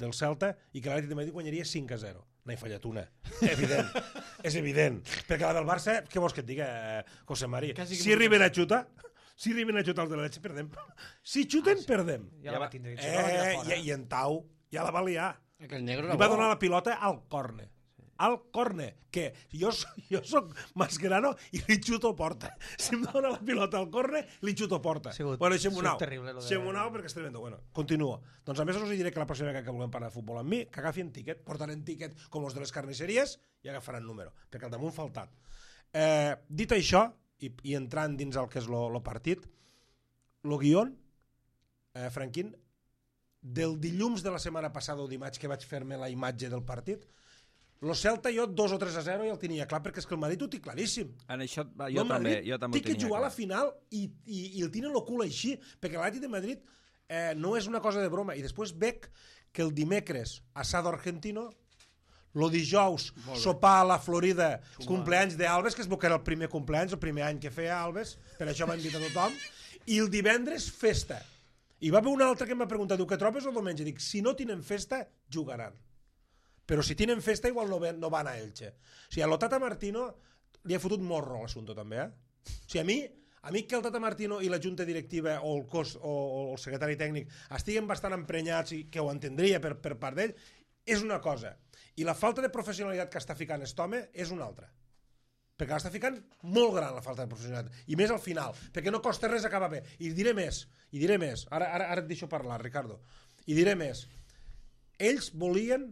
del Celta i que l'Atlètic de Madrid guanyaria cinc a zero. N'he fallat una. Evident. És evident. Perquè la del Barça, què vols que et diga, eh, José María? Quasi que Si arriben a xutar, si arriben a xutar els de l'Elche, perdem. Si xuten, perdem. Ja la va tindre. Eh, i, I en Tau ja la va liar. Que el negro Li era va bo. donar la pilota al córner. Al córner, que jo, jo soc Mascherano i li xuto porta. Si em dona la pilota al córner, li xuto porta. Sigut- Bueno, deixem-ho sigut anar. terrible, lo de- Deixem-ho anar perquè estem veient. Bueno, continuo. Doncs a més us diré que la pròxima vegada que vulguem parlar de futbol amb mi, que agafin tiquet, portaran tiquet com els de les carnisseries i agafaran número, perquè al damunt faltat. Eh, dit això, i, i entrant dins el que és lo, lo partit, lo guion, eh, Franquín, del dilluns de la setmana passada o dimarts que vaig fer-me la imatge del partit, lo Celta jo dos o tres a zero ja el tenia clar perquè és que el Madrid ho té claríssim. En això va, No, jo el també, Madrid jo també té ho que tenia jugar a la clar. final i, i, i el tenen el cul així perquè l'Atlètic de Madrid eh, no és una cosa de broma. I després veig que el dimecres asado argentino, el dijous sopar a la Florida, cumpleanys d'Alves, que es veu que era el primer cumpleanys, el primer any que feia Alves, per això va invitar tothom, i el divendres festa. I va haver un altre que em va preguntar, diu, què trobes el diumenge? Dic, si no tenen festa, jugaran. Però si tenen festa, igual no, ven, no van a Elche. O sigui, a lo Tata Martino li ha fotut morro a l'assumpte, també, eh? O sigui, a mi, a mi que el Tata Martino i la junta directiva o el cos o, o el secretari tècnic estiguen bastant emprenyats i que ho entendria per, per part d'ell, és una cosa. I la falta de professionalitat que està ficant aquest home és una altra. Perquè l'està ficant molt gran la falta de professionalitat. I més al final, perquè no costa res acabar bé. I diré més, i diré més. Ara, ara, ara et deixo parlar, Ricardo. I diré més. Ells volien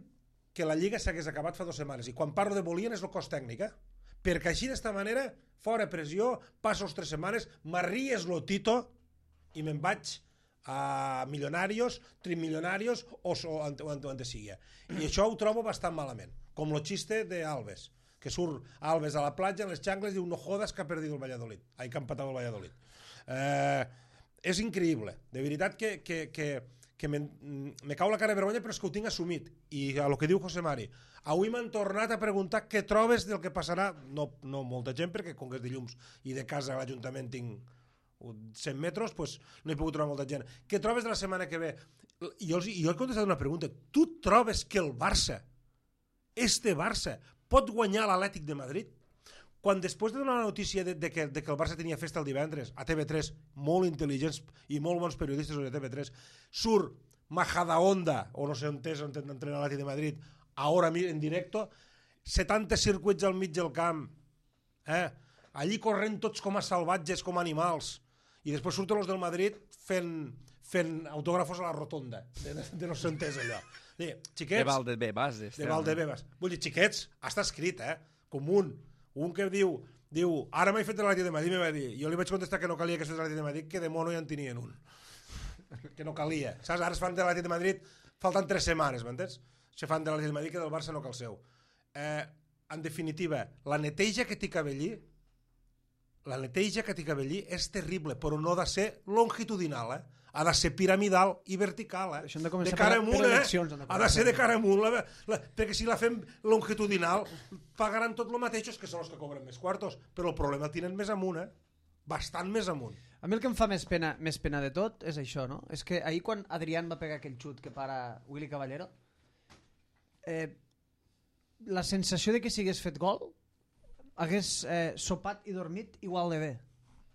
que la Lliga s'hagués acabat fa dues setmanes. I quan parlo de volien és el cos tècnic, eh? Perquè així d'esta manera, fora pressió, passo les tres setmanes, m'arries lo Tito i me'n vaig a milionarios, trimilionarios o, o, o, o on sigui. I això ho trobo bastant malament. Com lo xiste d'Alves, que surt Alves a la platja, en les xangles, i diu, no jodas que ha perdit el Valladolid. Ai, que ha empatat el Valladolid. Eh, és increïble. De veritat que, que, que, que me, me cau la cara de vergonya, però és que ho tinc assumit. I a lo que diu José Mari, avui m'han tornat a preguntar què trobes del que passarà. No, no molta gent, perquè com que és dilluns i de casa a l'Ajuntament tinc cent metres, pues no he pogut trobar molta gent. Què trobes de la setmana que ve? I jo, jo he contestat una pregunta. Tu trobes que el Barça, este Barça, pot guanyar l'Atlètic de Madrid? Quan després de donar la notícia de, de, que, de que el Barça tenia festa el divendres a T V tres, molt intel·ligents i molt bons periodistes de T V tres, surt Majadahonda, o no sé on és, on entrena l'Atlètic de Madrid, ara en directo, setanta circuits al mig del camp, eh? Allí corrent tots com a salvatges, com a animals, i després surten els del Madrid fent, fent autògrafos a la rotonda, de, de no sé on és allò. Dir, xiquets, de Valdebebas. De Valdebebas. Vull dir, xiquets, està escrit, eh? Com un. Un que diu, diu, ara m'he fet l'Atlètic de Madrid, me va dir, jo li vaig contestar que no calia que es fes l'Atlètic de Madrid, que de mono ja en tenien un. Que no calia. Saps? Ara es fan de l'Atlètic de Madrid, falten tres setmanes, m'entens? Se fan de l'Atlètic de Madrid que del Barça no cal seu. Eh, en definitiva, la neteja que té Cabellí, la neteja que té Cabellí és terrible, però no ha de ser longitudinal, eh? Ha de ser piramidal i vertical, eh? Això hem de començar de cara per, amunt, per eh? eleccions. Ha de ser de cara amunt, la, la, perquè si la fem longitudinal pagaran tot el mateix, que són els que cobren més quartos, però el problema el tenen més amunt, eh? Bastant més amunt. A mi el que em fa més pena, més pena de tot és això, no? És que ahir quan Adrián va pegar aquell xut que para Willy Caballero, eh, la sensació de que si hagués fet gol hagués eh, sopat i dormit igual de bé.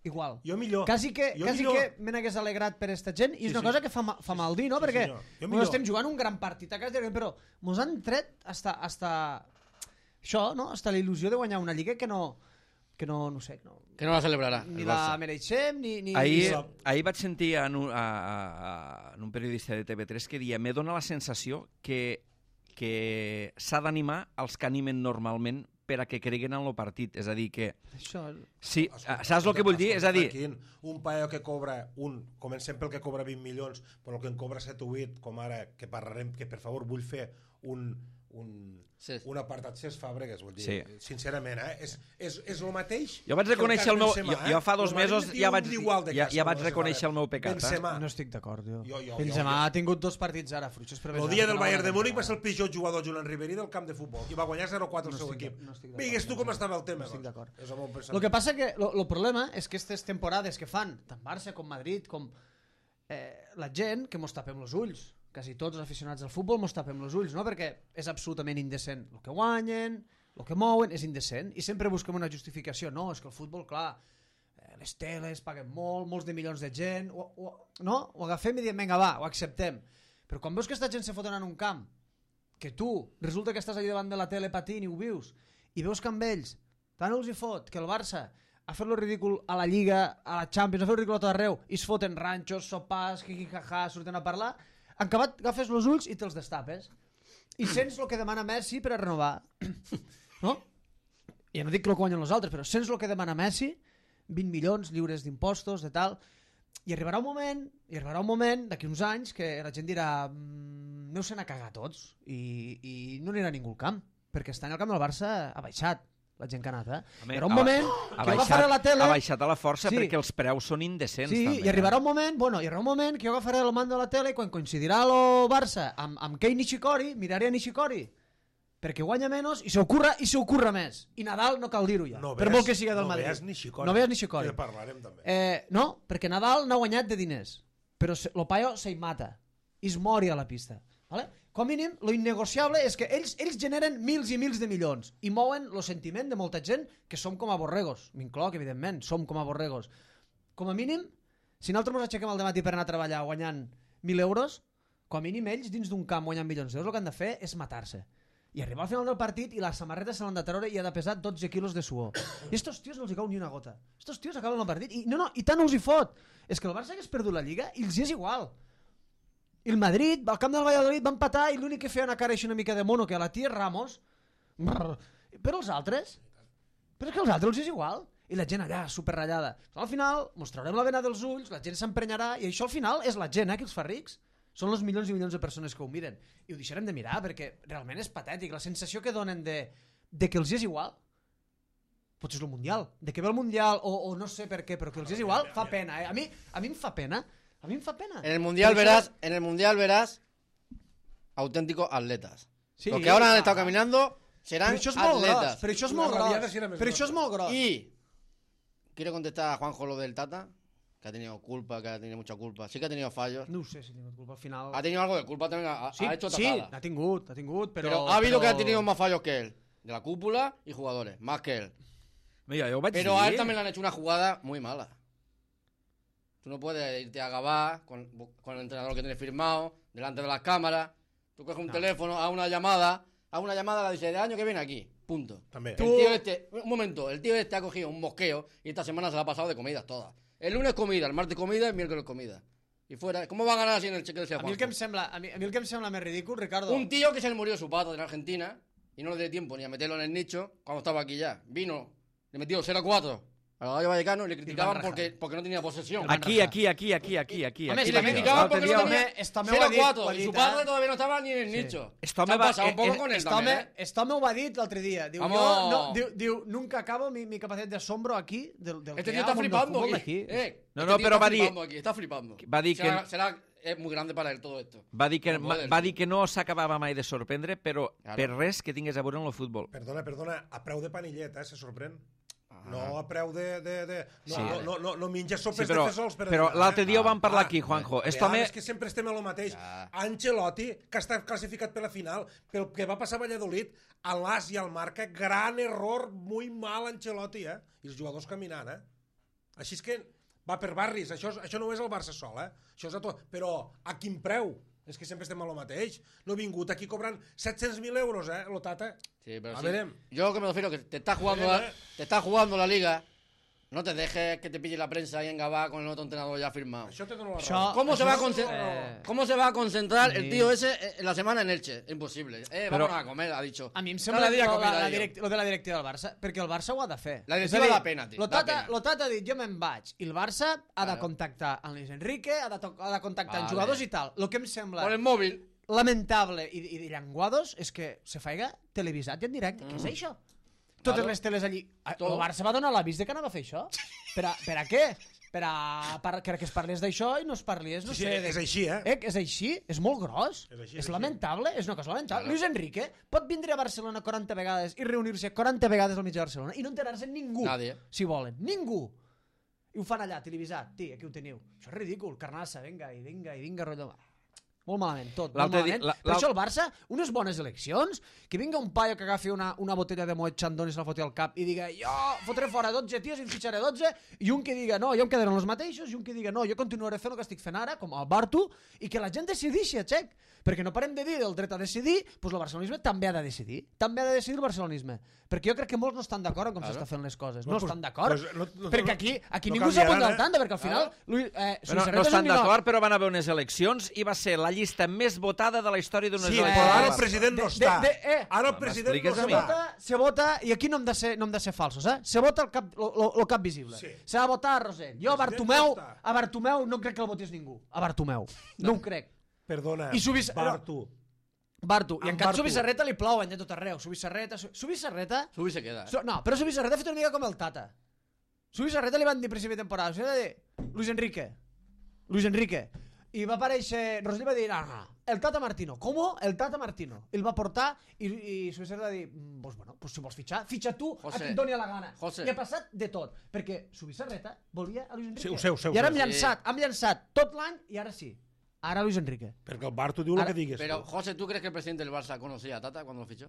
Igual. Jo millor. Quasi que, jo quasi millor. que me n'hagués alegrat per esta gent, i sí, és una sí. cosa que fa, fa mal dir, no? Sí, Perquè sí, no estem jugant un gran partit a casa, però mos han tret hasta, hasta això, no? Hasta la il·lusió de guanyar una lliga que no, que no, no sé, no, Que no la celebrarà. ni la mereixem, ni... ni Ahir, ni... ahir vaig sentir en un, a, a, en un periodista de T V tres que deia, me dona la sensació que, que s'ha d'animar els que animen normalment per a que creguen en el partit. És a dir, que... Això... Sí, saps el que vull dir? És a dir... Un paio que cobra, un, comencem pel que cobra vint milions, però el que en cobra set o vuit, com ara, que parlarem, que per favor vull fer un, un, sí. un apartat Cesc Fàbregas, vull dir, Sí. sincerament, eh? és, és, és el mateix. Jo vaig reconèixer el, el meu... Benzema, jo, jo fa dos el mesos Madrid ja té vaig, un igual de ja, cas, ja vaig com reconèixer el meu pecat. Eh? Benzema. No estic d'acord, jo. Jo, jo, Benzema jo, ha tingut dos partits ara, fruitxos per El dia del Bayern de Múnich va ser el pitjor jugador Julián Ribéry del camp de futbol i va guanyar zero quatre el seu equip. Digues tu com estava el tema. No estic d'acord. És el meu pensament. El que passa que el problema és que aquestes temporades que fan, tant Barça com Madrid, com eh, la gent, que mos tapem els ulls, quasi tots els aficionats al futbol mos tapem els ulls, no? Perquè és absolutament indecent. El que guanyen, el que mouen, és indecent. I sempre busquem una justificació. No, és que el futbol, clar, eh, les teles paguen molt, molts de milions de gent, o, o, no? Ho agafem i diem, vinga, va, ho acceptem. Però quan veus que aquesta gent se foten en un camp, que tu resulta que estàs allà davant de la tele patint i ho vius, i veus que amb ells tant els hi fot que el Barça ha fet lo ridícul a la Lliga, a la Champions, ha fet lo ridícul a tot arreu, i es foten ranxos, sopars, jijijaja, surten a parlar, en acabat agafes els ulls i te'ls destapes. I sents el que demana Messi per a renovar. No? Ja no dic que el guanyen els altres, però sents el que demana Messi, vint milions lliures d'impostos, de tal, i arribarà un moment, i arribarà un moment, d'aquí uns anys, que la gent dirà mmm, aneu-se'n a cagar tots, i, i no anirà ningú al camp, perquè estar en el camp del Barça ha baixat la gent que ha anat, eh? Home, Hi haurà un ha- moment ha que jo baixat- agafaré la tele... Ha baixat a la força Sí. perquè els preus són indecents, Sí, també. i arribarà un moment, bueno, hi haurà un moment que jo agafaré el mando de la tele i quan coincidirà el Barça amb, amb Kei Nishikori, miraré a Nishikori perquè guanya menys i se ocurra i se ocurra més. I Nadal no cal dir-ho ja, No per veas- molt que siga del no Madrid. veas Nishikori. No veas Nishikori. Que parlarem també. Eh, no, perquè Nadal n'ha guanyat de diners, però se, lo paio se hi mata i es mori a la pista. Vale? Com a mínim, lo innegociable és que ells, ells generen mils i mils de milions i mouen el sentiment de molta gent que som com a borregos. M'incloc, evidentment, som com a borregos. Com a mínim, si nosaltres ens aixequem al dematí per anar a treballar guanyant mil euros, com a mínim ells dins d'un camp guanyant milions d'euros el que han de fer és matar-se. I arribar al final del partit i la samarreta se l'han de treure i ha de pesar dotze quilos de suor. I estos tios no els hi cau ni una gota. Estos tios acaben el partit i no, no, i tant no els hi fot. És que el Barça hagués perdut la Lliga i els hi és igual. I el Madrid, al camp del Valladolid, va empatar i l'únic que feia una cara així una mica de mono que a la tia Ramos. Brrr. Però els altres? Però és que als altres els és igual. I la gent allà, superratllada. Al final, mostrarem la vena dels ulls, la gent s'emprenyarà i això al final és la gent eh, que els fa rics. Són els milions i milions de persones que ho miren. I ho deixarem de mirar perquè realment és patètic. La sensació que donen de, de que els és igual, potser és el Mundial, de que ve el Mundial o, o no sé per què, però que els és igual, fa pena. Eh? A, mi, a mi em fa pena. A mi em fa pena. En el mundial Por eso- verás, en el mundial verás auténticos atletas. Sí. Los que ahora han estado caminando serán Però això és molt gros, atletas. però això és La molt rabiada gros. sí era més Però això és grossa. molt gros. Y quiero contestar a Juanjo lo del Tata, que ha tenido culpa, que ha tenido mucha culpa. Sí que ha tenido fallos. No ho sé si ha tingut culpa al final. Ha tenido algo de culpa también, ha, Sí, ha hecho sí, tajada. ha tingut, ha tingut, però... Pero ha habido però... que ha tenido más fallos que él. De la cúpula y jugadores, más que él. Mira, jo ho vaig Pero dir. a él también le han hecho una jugada muy mala. Tú no puedes irte a Gabá con, con el entrenador que tienes firmado, delante de las cámaras. Tú coges un No. teléfono, haz una llamada, haz una llamada a la dice de año que viene aquí. Punto. También. El tío este, un momento, el tío este ha cogido un mosqueo y esta semana se la ha pasado de comidas todas. El lunes comida, el martes comida, el miércoles comida. Y fuera, ¿cómo va a ganar así en el cheque de A mi, el que em sembla, a, mi, a mi el que em sembla més ridícul, Ricardo... Un tío que se le murió su pata en Argentina y no le dio tiempo ni a meterlo en el nicho cuando estaba aquí ya. Vino, le metió cero a cuatro a la Rayo Vallecano y le criticaban rajar. porque, porque no tenía posesión. Aquí, aquí, aquí, aquí, aquí, aquí. Home, aquí, Y le També- criticaban L'altre porque dia- no tenía Home, esto me ho cero ha dit, ho cuatro ha y dit, su eh? padre todavía no estaba ni en el Sí. nicho. Esto Se me ha va- pasado un eh, poco eh, con él Esto también, home, ¿eh? esto me ho va dir l'altre dia. Diu, Vamos. jo, no, diu, diu, nunca acabo mi, mi capacitat de asombro aquí del, del Este que tío hi ha está al món del flipando futbol aquí. d'aquí. Eh, No, este no, tío pero está va a dir- flipando aquí, está flipando. va a dir será, que- será es muy grande para él todo esto. Va dir que, No puede, va el dir tío. que no s'acabava mai de sorprendre, però Claro. per res que tingués a veure amb el futbol. Perdona, perdona, a preu de panillet, eh, se sorprèn. Ah. No a preu de... de, de no, Sí. no, no, no, no menja sopes Sí, però- de fesols per a però dinar, l'altre eh? dia ho vam parlar Ah, aquí, Juanjo. a Esto me- vegades que sempre estem a lo mateix. Ja. Ancelotti, que està classificat per la final, pel que va passar a Valladolid, a l'As i al Marca, gran error, muy mal Ancelotti, eh? I els jugadors caminant, eh? Així és que va per barris, això, és- això no és el Barça sol, eh? Això és a tot. Però a quin preu? És que sempre estem a lo mateix. No he vingut aquí cobrant set-cents mil euros, eh, lo tata. Sí, pero A sí. verem. Yo que me refiero que te estás jugando, Verem, la, eh. te estás jugando la liga. No te dejes que te pille la prensa ahí en Gabá con el otro entrenador ya firmado. Això te dono la Això- raó. ¿Cómo se, Això va a és- concentrar, eh, ¿Cómo se va a concentrar el sí. tío ese en la semana en Elche? Imposible. Eh, Pero- vamos a comer, ha dicho. A mi em Cada sembla día lo, comida, la, la tío. direct, lo de la directiva del Barça, perquè el Barça ho ha de fer. La És directiva a dir, da pena, tio, Lo da Tata, pena. lo Tata ha dit, jo me'n vaig, i el Barça ha de Claro. contactar amb Luis Enrique, ha de, to- ha de contactar amb Vale. jugadors i tal. El que em sembla Por el móvil. lamentable i, i de llenguados és que se faiga televisat i en directe. Què és això? Totes Claro. les teles allí. El Todo. Barça va donar l'avís de que anava a fer això. Per a, per a què? Per a, per, que es parlés d'això i no es parlés, no Sí, sí, sé... de- és així, eh? Eh, és així, és molt gros, És és, així, és és lamentable, és una cosa lamentable. Claro. Luis Enrique pot vindre a Barcelona quaranta vegades i reunir-se quaranta vegades al mig de Barcelona i no enterar-se ningú, Nadie. si volen, ningú. I ho fan allà, televisat, tí, aquí ho teniu. Això és ridícul, carnassa, vinga, i vinga, i vinga, rotllo... Molt malament, tot, molt L'altre dia- malament. la- Per l'al- això el Barça, unes bones eleccions, que vinga un paio que agafi una, una botella de Moet Chandon i se la foti al cap i diga, jo fotré fora dotze tios i en fitxaré dotze, i un que diga, no, jo em quedaré amb els mateixos, i un que diga, no, jo continuaré fent el que estic fent ara, com el Bartu, i que la gent decidixi, a xec, perquè no parem de dir del dret a decidir, doncs el barcelonisme també ha de decidir, també ha de decidir el barcelonisme, perquè jo crec que molts no estan d'acord amb com Claro. s'està fent les coses, No, no pues- estan d'acord, pues no- no- perquè no- aquí, aquí no ningú canviaran, s'apunta al eh? tanda, perquè al final, Luis, eh, Però Luis no Herrera és estan un milà- d'acord, però van haver unes eleccions i va ser la llista més votada de la història d'unes Sí, eleccions. però ara el del Barça. president no De- està. de- de- eh. Ara el No president no m'expliques a se mi. està. vota, se vota, i aquí no hem de ser, no hem de ser falsos, eh? Se vota el cap, lo, lo, lo cap visible. Sí. Se va votar a Rosell. Jo a President Bartomeu, no està. a Bartomeu no crec que el votés ningú. A Bartomeu. No ho crec. Perdona, I subis- Bartu. Bartu, i Amb en Can Bartu. Subissarreta li plouen de tot arreu. Subissarreta, Su- Subissarreta... Subi se queda, eh? So, no, però Subissarreta ha fet una mica com el Tata. Subissarreta li van dir a principi de temporada, o sigui, va dir Luis Enrique. Luis Enrique. I va aparèixer, Roslí va dir, no, no, el Tata Martino. Com? El Tata Martino. El va portar i, i Subissarreta va dir, pues bueno, pues si vols fitxar, fitxa tu José, a qui et doni la gana. José. I ha passat de tot, perquè Subissarreta volia a Luis Enrique. Sí, ho sé, ho sé, ho I ara sé. hem llançat, hem llançat tot l'any i ara sí. Ara Luis Enrique. Perquè el Bartu diu el Ara- que digues. Pero, tu. José, ¿tú crees que el presidente del Barça conocía a Tata cuando lo fichó?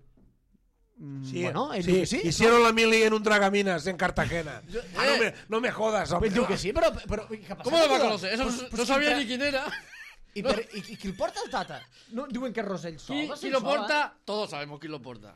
Sí, Bueno, ell sí, diu que sí. hicieron la mili en un Dragaminas en Cartagena. Ah, no, me, no me jodas, No, home. ell diu que sí, però... però què ha passat? ¿Cómo lo va a tio? conocer? Eso Pues- no, pues no sabía qui- ni quién era. I, per, i, i qui el porta el Tata? No, diuen que és Rosell Sol. ¿Qui, va ser quién lo Sol, eh? porta? Todos sabemos quién lo porta.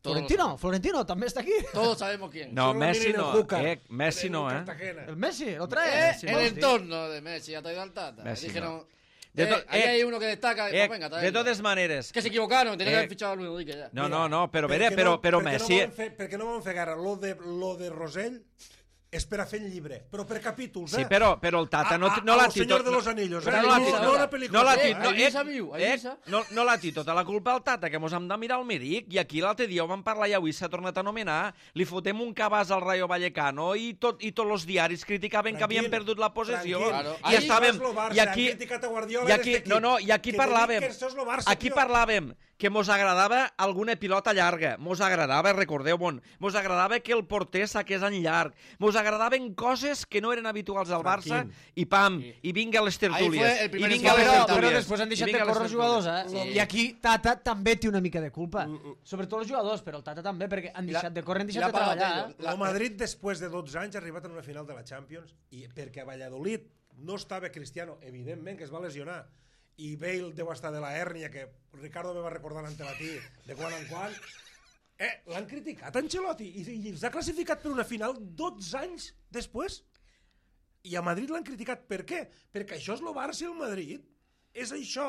Todos lo Florentino, Florentino també està aquí. sabemos. Todos sabemos quién. No, Hicieron la Messi mili en el no. Júcar, Eh, Messi en no, eh? Cartagena. El Messi, lo Eh, trae. Sí, el Messi. entorno de Messi ha traído al Tata. Messi Dijeron, no. De eh, to- ahí eh, hay uno que destaca. Eh, Pues venga, de traedlo. totes maneres... Que se equivocaron, tenían que Eh, haber fichado a Luis Enrique ya. No, Mira, no, no, però, per bé, què però, no- però per què Messi... No volen fer, per què no van fer gara lo de, lo de Rosell? És per a fer el llibre, però per capítols, eh? Sí, però, però el Tata no, A- a- no a l'ha los Señor de los Anillos, però eh? no l'ha No, dit- no una pel·lícula. no l'ha Eh, dit- no, ahí eh, s'ha viu, ahí eh, s'ha. no, no l'ha dit tota la culpa al Tata, que mos hem de mirar el Miric, i aquí l'altre dia ho vam parlar i avui s'ha tornat a anomenar, li fotem un cabàs al Rayo Vallecano i, tot, i tots els diaris criticaven que havien perdut la possessió. tranquil. Claro. I Ahí estàvem... no és lo Barça, I aquí, han criticat a Guardiola i aquí, d'este no, equip. no, i aquí Que te parlàvem... dic que això és lo Barça, aquí tio. parlàvem que mos agradava alguna pilota llarga, mos agradava, recordeu, bon, mos agradava que el porter saqués en llarg, mos agradaven coses que no eren habituals al Barça, Tranquil. i pam, i vinga les tertúlies. fue el primer I vinga escaló. les Però, tertúlies. però després han I deixat de vinga les córrer els tertúlies. jugadors, eh? Sí. I aquí Tata també té una mica de culpa. Sobretot els jugadors, però el Tata també, perquè han la- deixat de córrer, han la deixat de paga treballar. Tello. Eh? El Madrid, després de dotze anys, ha arribat a una final de la Champions i perquè a Valladolid no estava Cristiano, evidentment que es va lesionar, i Bale deu estar de la hèrnia, que Ricardo me va recordar l'antematí de quan en quan. Eh, l'han criticat Ancelotti i, i els ha classificat per una final dotze anys després. I a Madrid l'han criticat. Per què? Perquè això és el Barça i el Madrid. És això.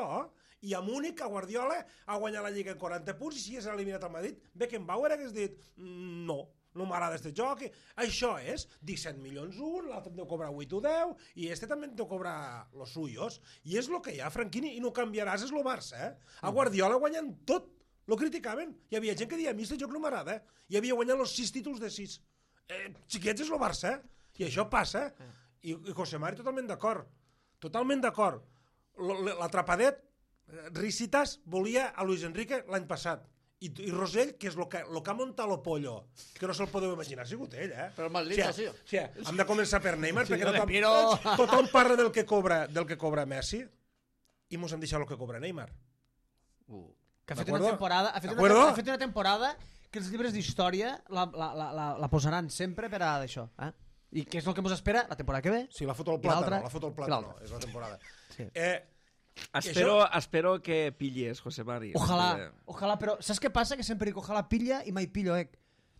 I a Múnich, a Guardiola, ha guanyat la Lliga en quaranta punts i si és eliminat al Madrid, Beckenbauer hagués dit "Mm, no, no m'agrada este joc". Això és disset milions un, l'altre em deu cobrar vuit o deu i este també em deu cobrar los suyos. I és el que hi ha, Franquini, i no canviaràs, és el Barça. Eh? A Guardiola guanyant tot. Lo criticaven. Hi havia gent que deia, a mi este joc no m'agrada. Eh? I havia guanyat els sis títols de sis. Eh, xiquets, és el Barça. Eh? I això passa. Eh? I, i José Mari totalment d'acord. Totalment d'acord. L'atrapadet, Risitas volia a Luis Enrique l'any passat. I, i Rosell, que és el que, lo que ha muntat lo pollo, que no se'l podeu imaginar, ha sigut ell, eh? Però el más listo ha sido. Sí, hem de començar per Neymar, perquè lo de tothom, Piro. tothom parla del que cobra del que cobra Messi i mos hem deixat el que cobra Neymar. Uh. Que ha fet D'acord? una temporada, ha fet una, D'acord? ha fet una temporada que els llibres d'història la, la, la, la, la posaran sempre per a això. Eh? I que és el que ens espera la temporada que ve. Sí, la foto al I l'altra- plàtano, la foto al i plàtano, l'altra. és la temporada. Sí. Eh, Espero, espero que pilles, José Mari. Ojalà, ojalà, però saps què passa? Que sempre dic ojalà pilla i mai pillo, eh?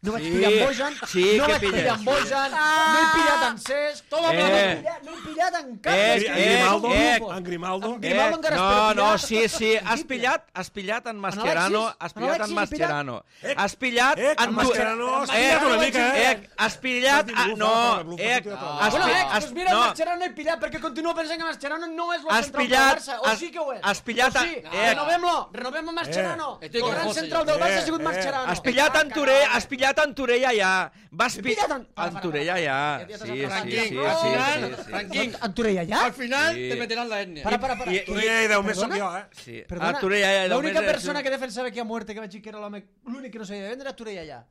No vaig Sí, pillar en Bojan, sí no que vaig pilles, pillar en Bojan, no he pillat en Cesc, Toma, Eh. no, he pillat, no he pillat en cap. Eh, dels que eh, hi ha Grimaldo, al eh, grup. en Grimaldo. En Grimaldo encara no, espera no, pillar. sí, sí, has pillat, has pillat en Mascherano, Alexis? has pillat en Alexis, has pillat? Mascherano, Eh, has pillat eh, en en Mascherano has eh, pillat una mica, eh? eh, has pillat, Has ah, dit no, blufa, blufa, eh, blufa, has, Bueno, pi- eh, has, doncs mira, no, el Mascherano he pillat perquè continuo pensant que Mascherano no és el Has central pillat- del Barça, o has- sí que ho és. has pillat o a- sí, eh. renovem-lo, renovem a Mascherano. Eh. Estoy El con gran José, central yo. del Barça Eh, ha sigut eh. Mascherano. has pillat en Torell, has pillat en Torell allà, vas He pillar pillat en- para, en para, Torell para. allà, Ja t'has sí, sí, atrapat. sí, sí, Al sí, final, sí, sí. Franquín, En Torell allà? al final Sí. te meterán la etnia. Para, para, para. I- Tu ja hi deu més Perdona? som jo, eh? Sí. Perdona, A Torell allà, deu l'única més- persona que defensava aquí a muerte, que vaig dir que era l'home, l'únic que no sabia vendre era Torell allà.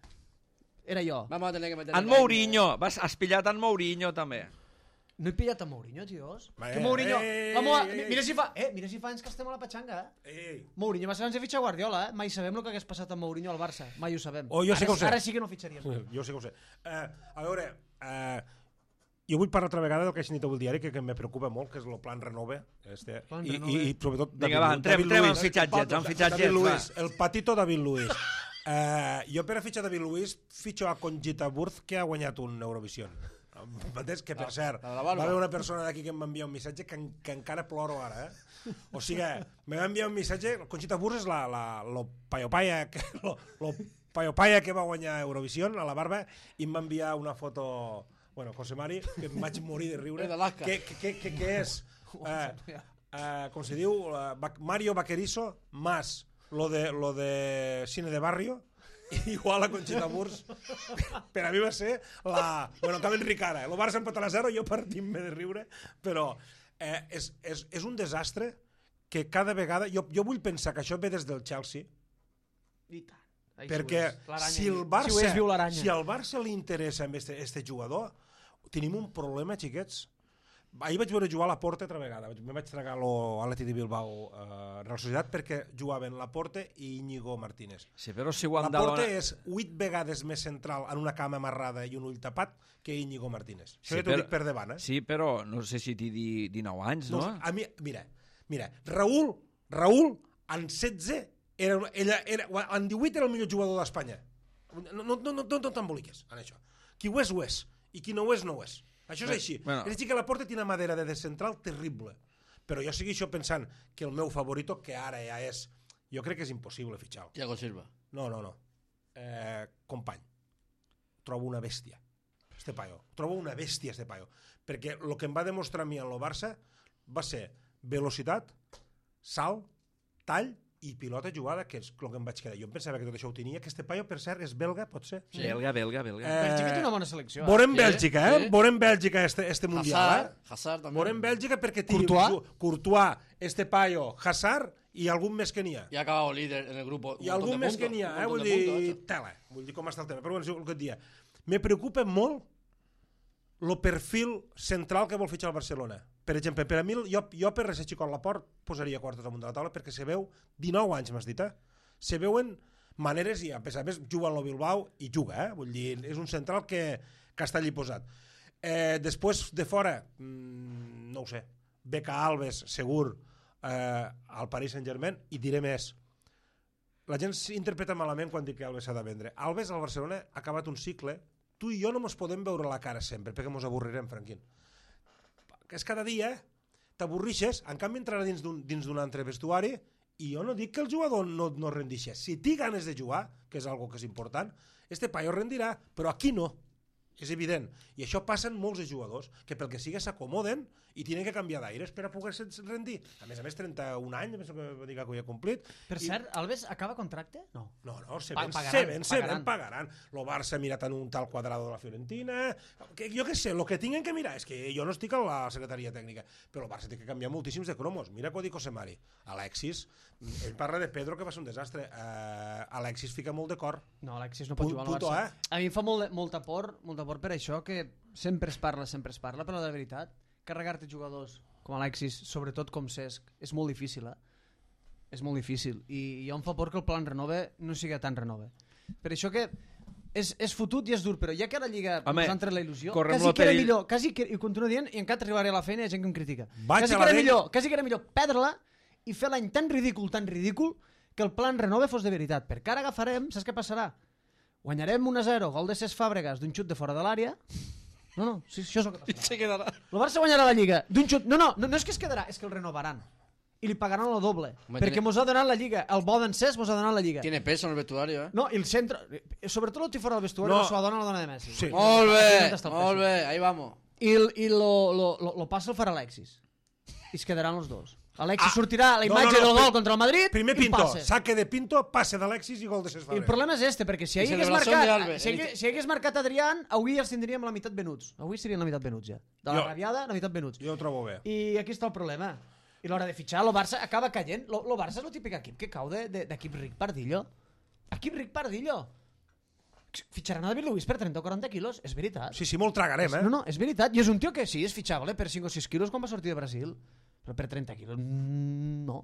Era jo. Vamos a tener que meter En Mourinho, vas, has pillat en Mourinho també. No he pillat a Mourinho, tios. Va, Que eh, Mourinho... eh, la moa, eh, eh. mira si fa... Eh, mira si fa anys que estem a la patxanga, eh? Ei. Mourinho va ser abans de fitxar Guardiola, eh? Mai sabem el que hagués passat amb Mourinho al Barça. Mai ho sabem. Oh, jo sí ara, que ho sé. Ara sí que no fitxaríem. Jo sé que ho sé. Uh, a veure, uh, jo vull parlar altra vegada del que ha escrit avui el diari, que, que me preocupa molt, que és el plan Renove. Este, Plan i, Renove. i, I sobretot Vinga, va, entrem, entrem en fitxatgets, en fitxatgets, David va. Luiz, el patito David Luiz. Uh, jo per a fitxar David Luiz fitxo a Conchita Wurst, que ha guanyat un Eurovision. M'entens? Que per cert, la de la va barba. haver una persona d'aquí que em va enviar un missatge que, en- que encara ploro ara, eh? O sigui, me va enviar un missatge, Conchita Wurst és la, la, lo paio-paia que, lo, lo paio-paia que va guanyar Eurovision a la barba, i em va enviar una foto, bueno, José Mari, que em vaig morir de riure, És d'Alaska. que, que, que, que, que és, eh, eh, com se diu, eh, Mario Vaquerizo más lo de, lo de cine de barrio, igual a Conxita Wurst, per a mi va ser la... Bueno, acaba Enric ara, el Barça empatat a zero, jo partint-me de riure, però eh, és, és, és un desastre que cada vegada... Jo, jo vull pensar que això ve des del Chelsea, I tant. Ai, perquè si si el Barça, si, ho és, si al Barça li interessa amb este, este jugador, tenim un problema, xiquets. Ahir vaig veure jugar a Laporte altra vegada. Me vaig tragar l'Atleti de Bilbao a eh, Real Societat perquè jugaven Laporte i Íñigo Martínez. Sí, però si ho han Laporte de... és vuit vegades més central en una cama amarrada i un ull tapat que Íñigo Martínez. Això Sí, ja t'ho però- dic per davant, eh? Sí, però no sé si t'hi di dinou anys, no? Doncs, a mi, mira, mira, Raúl, Raúl, en setze, era, ella, era, en divuit era el millor jugador d'Espanya. No, no, no, no, no t'emboliques en això. Qui ho és, ho és. I qui no ho és, no ho és. Això és Bé, així. bueno. És a dir, que Laporte té una madera de descentral terrible. Però jo sigui això pensant que el meu favorito, que ara ja és... Jo crec que és impossible fitxar-lo. Thiago Silva. No, no, no. Eh, company. Trobo una bèstia. Este paio. Trobo una bèstia, este paio. Perquè el que em va demostrar a mi en el Barça va ser velocitat, salt, tall i pilota jugada, que és el que em vaig quedar. Jo em pensava que tot això ho tenia, que este paio, per cert, és belga, pot ser? Belga, belga, belga. Eh, Bèlgica té una bona selecció. eh? Veurem Sí, Bèlgica, eh? sí. Veurem Bèlgica este, este mundial, Hazard, eh? Hazard també. Veurem Bèlgica perquè té Courtois. Courtois, este paio, Hazard i algun més que n'hi ha. Y ha acabado líder en el grupo. I algun més que n'hi ha, eh? Vull dir, tela. Vull dir com està el tema. Però bueno, és el que et dia. Me preocupa molt el perfil central que vol fitxar el Barcelona. Per exemple, per a mi, jo, jo per ser xicot Laport posaria quartos damunt de la taula perquè se veu, dinou anys m'has dit, eh? Se veuen maneres i a més a més juga en el Bilbao i juga, eh? Vull dir, és un central que, que està allí posat. Eh, després de fora, mmm, no ho sé, Beca Alves, segur, eh, al Paris Saint-Germain, i diré més. La gent s'interpreta malament quan dic que Alves s'ha de vendre. Alves al Barcelona ha acabat un cicle. Tu i jo no mos podem veure la cara sempre, perquè mos avorrirem, Franquín. Que és cada dia, t'avorrixes, en canvi entrarà dins d'un dins d'un altre vestuari, i jo no dic que el jugador no, no rendixa. Si té ganes de jugar, que és algo que és important, este paio rendirà, però aquí no. És evident. I això passa en molts de jugadors, que pel que sigui s'acomoden i tenen que canviar d'aires per a poder-se rendir. A més a més, trenta-un anys, penso que va dir que ho havia complit. Per I... cert, Alves acaba contracte? No. No, no, se Pa- ven, pagaran, se ven, se pagaran. ven, pagaran. Lo Barça ha mirat en un tal Cuadrado de la Fiorentina, que, jo què sé, el que tinguin que mirar, és que jo no estic a la secretaria tècnica, però el Barça té que canviar moltíssims de cromos. Mira que ho dic Osemari. Alexis, ell parla de Pedro, que va ser un desastre. Uh, Alexis fica molt de cor. No, Alexis no pot Pu- jugar al puto, Barça. eh? A mi em fa molt, molta por, molta por per això, que sempre es parla, sempre es parla, però de veritat, carregar-te jugadors com Alexis, sobretot com Cesc, és molt difícil, eh? És molt difícil. I jo em fa por que el plan renove no sigui tan renove. Per això que és, és fotut i és dur, però ja que a la Lliga Home, ens ha entrat la il·lusió, correm quasi lo que era perill- millor, quasi que, i continuo dient, i encara arribaré a la feina i hi ha gent que em critica. Vaig Quasi a que, la era vella. millor, quasi que era millor perdre-la i fer l'any tan ridícul, tan ridícul, que el plan renove fos de veritat. Perquè ara agafarem, saps què passarà? Guanyarem un a zero, gol de Cesc Fàbregas d'un xut de fora de l'àrea. No, no, sí, això és el que passarà. Se quedará. El Barça guanyarà la Lliga d'un xut... No, no, no, no és que es quedarà, és que el renovaran. I li pagaran el doble. Home, perquè tiene- mos ha donat la Lliga. El bo d'en Cesc mos ha donat la Lliga. Tiene peso en el vestuario, ¿eh? No, i el centre... Sobretot el tí fora del vestuari, No. no. la dona la dona de Messi. Sí. Molt Aquí bé, on està el molt peso. bé, ahí vamos. I, el- i lo, lo, lo, lo passa el farà Alexis. I es quedaran els dos. Alexis Ah, sortirà a la no, imatge no, no, del pri- gol contra el Madrid Primer i Pinto, passe. saque de Pinto, passe d'Alexis i gol de Cesc I el Fàbregas. problema és este, perquè si I hagués celebració marcat, d'Alves. si hagués, si hagués marcat Adrián, avui els tindríem la meitat venuts. Avui serien la meitat venuts ja. De la Jo- rabiada, la meitat venuts. Jo ho trobo bé. I aquí està el problema. I l'hora de fitxar, el Barça acaba caient. El Barça és el típic equip que cau de- de- d'equip ric pardillo. Equip ric pardillo. Fitxaran a David Luiz per trenta o quaranta quilos, és veritat. Sí, sí, molt tragarem, eh? No, no, és veritat. I és un tio que sí, és fitxable per cinc o sis quilos quan va sortir de Brasil. Però per trenta quilos, mm, no.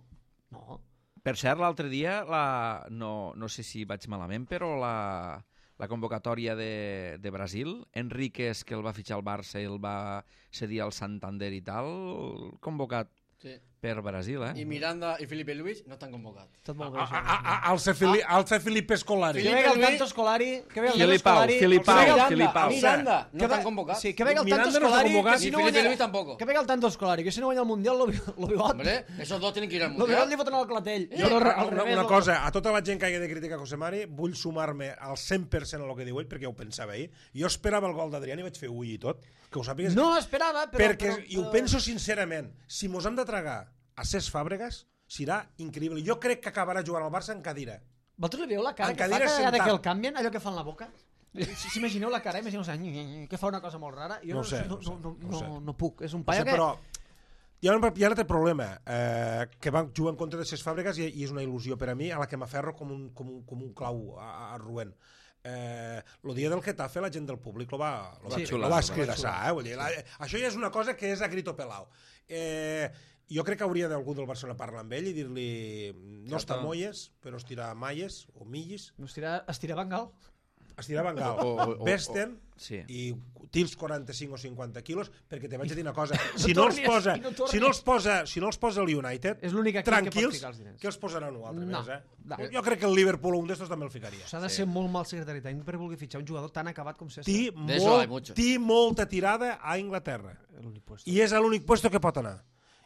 No. Per cert, l'altre dia, la... no, no sé si vaig malament, però la, la convocatòria de, de Brasil, Enríquez, que el va fitxar al Barça i el va cedir al Santander i tal, convocat Sí. per Brasil, eh? Y Miranda y Felipe Luis no están convocados. Tot molt bé, A- això. a- a- Alce Fili- Alce Felipe Scolari. Que Felipe venga el Luis- tanto Scolari, que venga el tanto Filipau, Scolari, Filipau, que venga el- Filipau. Miranda, no que están ve- convocados. Sí, que venga el Miranda tanto no està Scolari, convocat. que si Ni no Felipe guanya- Luis tampoco. Que venga el tanto Scolari, que si no guanya el Mundial, lo, lo bigot. Hombre, esos dos tienen que ir al Lo bigot li mundial. foten al clatell. Jo, Però una, al una, revés, una lo- cosa, a tota la gent que hagi de criticar Josemari, vull sumar-me al cent per cent a lo que diu ell, perquè ho pensava ahir. Jo esperava el gol d'Adrián i vaig fer ui i tot, que ho sàpigues. No esperava, però... perquè, però, i ho però- penso sincerament, si mos hem de tragar a Cesc Fàbregas, serà increïble. Jo crec que acabarà jugant al Barça en cadira. Vosaltres li veieu la cara En que fa cadira cada vegada sentat. que el canvien, allò que fa en la boca? Si s'imagineu la cara, imagineu que fa una cosa molt rara. Jo No no, ho sé, no, no ho sé, no, no, no ho sé. no, no puc. És un No paio sé, que... però hi ha un, hi ha un altre problema, eh, que van jugar en contra de ses fàbriques i, i és una il·lusió per a mi, a la que m'aferro com un, com un, com un clau a, a Rubén. Eh, el dia del Getafe la gent del públic lo va, lo va, Sí, sí, xular, lo va lo va escridassar, eh? Vull dir, la, això ja és una cosa que és a grito pelao. Eh, jo crec que hauria d'algú del Barcelona parlar amb ell i dir-li no està molles, però estirar malles o millis, No estirar, estirar Bengal. estirar Bengal, O- o- o- vesten Sí. i tils quaranta-cinc o cinquanta quilos, perquè te vaig a dir una cosa, No si no els tornis, posa, i no tornis. si no els posa, si no els posa el United, És l'únic equip que pot tranquils, ficar els diners. que els posaran un altre No, més, eh? no. Jo crec que el Liverpool un d'estos també el ficaria. S'ha de ser molt mal secretari tècnic per voler fitxar un jugador tan acabat com César. Té, De eso hay molt, mucho. té molta tirada a Inglaterra. L'únic puesto. I és l'únic puesto que pot anar.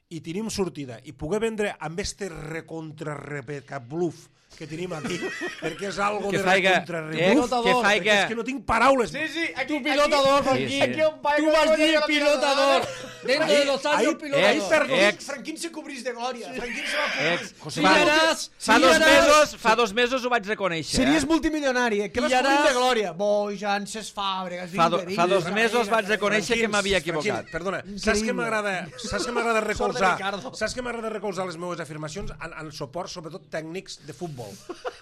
I tenim sortida. I poder vendre amb este recontra-repeca bluff que tenim aquí, perquè és algo Que de faiga- recontra-rebuff, eh, que faiga- perquè és que no tinc paraules. Sí, sí, aquí, Tu pilotador, Sí, Franquín. sí. Aquí un paio Tú que vas no a decir llega a la pilotador. pilota. Dentro Ahí- de los años, ahí- pilotador. ahí perdó. Ex. Franquín se cobrís de glòria. Franquín se va cobrir. Ex. José Fa, Manuel, Pillaràs, fa, dos pillaràs. mesos, fa dos mesos ho vaig reconèixer. Series eh? multimilionari, eh? Que vas Pillaràs. cobrir de glòria. Bojan, ses fàbriques, Fa, do, vinga, fa dos vinga, mesos vinga, vaig reconèixer que Tranquils, m'havia tranquils, equivocat. Perdona, saps que Increïble. m'agrada saps que m'agrada Sort de recolzar Ricardo. saps que m'agrada recolzar les meves afirmacions en, en suport, sobretot tècnics de futbol.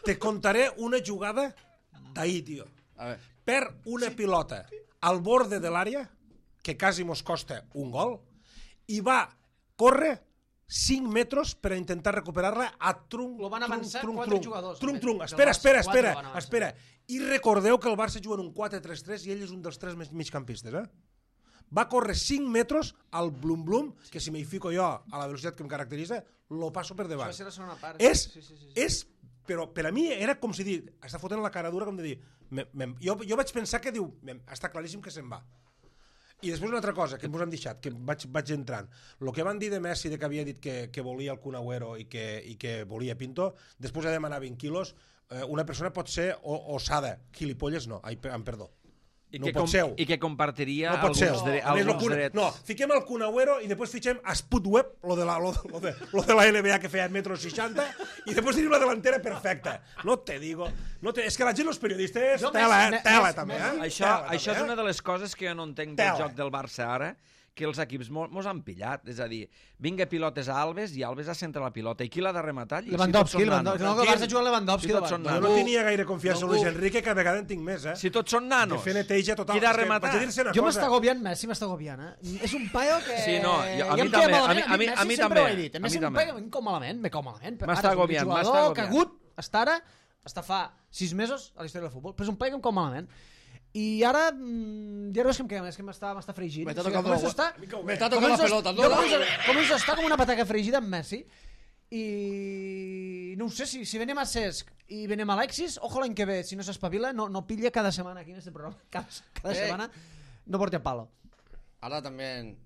Te contaré una jugada d'ahir, tio. A ver. Per una pilota al borde de l'àrea, que quasi mos costa un gol, i va córrer cinc metres per a intentar recuperar-la a trunc, Lo van trunc, avançar trunc, quatre trunc, jugadors, trunc, del trunc. Barça. Espera, espera, Quatre espera, van avançar. espera. I recordeu que el Barça juga en un quatre tres tres i ell és un dels tres mig- migcampistes, eh? Va córrer cinc metres al blum-blum, que si m'hi fico jo a la velocitat que em caracteritza, lo passo per Això davant. va ser la segona part. És, Sí, sí, sí, sí. és, però per a mi era com si dir, està fotent la cara dura com de dir, me, me, jo, jo vaig pensar que diu, me, està claríssim que se'n va. I després una altra cosa que ens han deixat, que vaig, vaig entrant. El que van dir de Messi, de que havia dit que, que volia el Kun Agüero i que, i que volia Pinto, després ha demanat vint quilos, eh, una persona pot ser o, osada, gilipolles no, ai, per- em perdó. I No que, pot com, ser. I que compartiria No pot ser. alguns, dre A més, lo alguns Kun- drets. No, fiquem el Kun Agüero i després fitxem a Sputweb, lo de la, lo, lo de, lo de la N B A que feia metro seixanta, i després tenim la delantera perfecta. No te digo. No te, és que la gent, els periodistes, Jo, tela, Messi- eh? Tela, Messi- també, Messi- eh? Això, Tela, això és també, una eh? de les coses que jo no entenc del Tela. joc del Barça ara, que els equips mo- mos han pillat. És a dir, vinga pilotes a Alves i Alves a centre la pilota. I qui l'ha de rematar? allí? Lewandowski, si tots són Lewandowski. nanos. No, que el Barça juga Lewandowski. Si tots davant. són Jo nanos. no tenia gaire confiança en Ningú. Luis Enrique, que a vegades en tinc més, eh? Si tots són nanos. De fer neteja total. Qui ha de És que rematar? vaig a dir-se una Jo cosa. m'està agobiant Messi, m'està agobiant, eh? És un paio que... Sí, no, jo- a Ja mi em queda també, malament. a mi- a mi- a mi Messi sempre també, ho he dit. a Messi mi és un també. paio que em cau malament, me cau malament. però M'està ara és un agobiant, m'està jugador agobiant. cagut, està ara, està fa sis mesos a la història del futbol, però és un paio que em cau malament. I ara, mm, ja no és que em queda més, que m'està m'està fregint. Me O està sigui, tocando començo la- a estar- Me está tocando la començo a- pelota, jo ¿no? començo a- Començo a estar com una pataca fregida amb Messi i no ho sé, si, si venem a Cesc i venem a Alexis, ojo l'any que ve, si no s'espavila, no, no pilla cada setmana aquí en este programa, cada, cada Eh. setmana no porte a palo. Ahora también,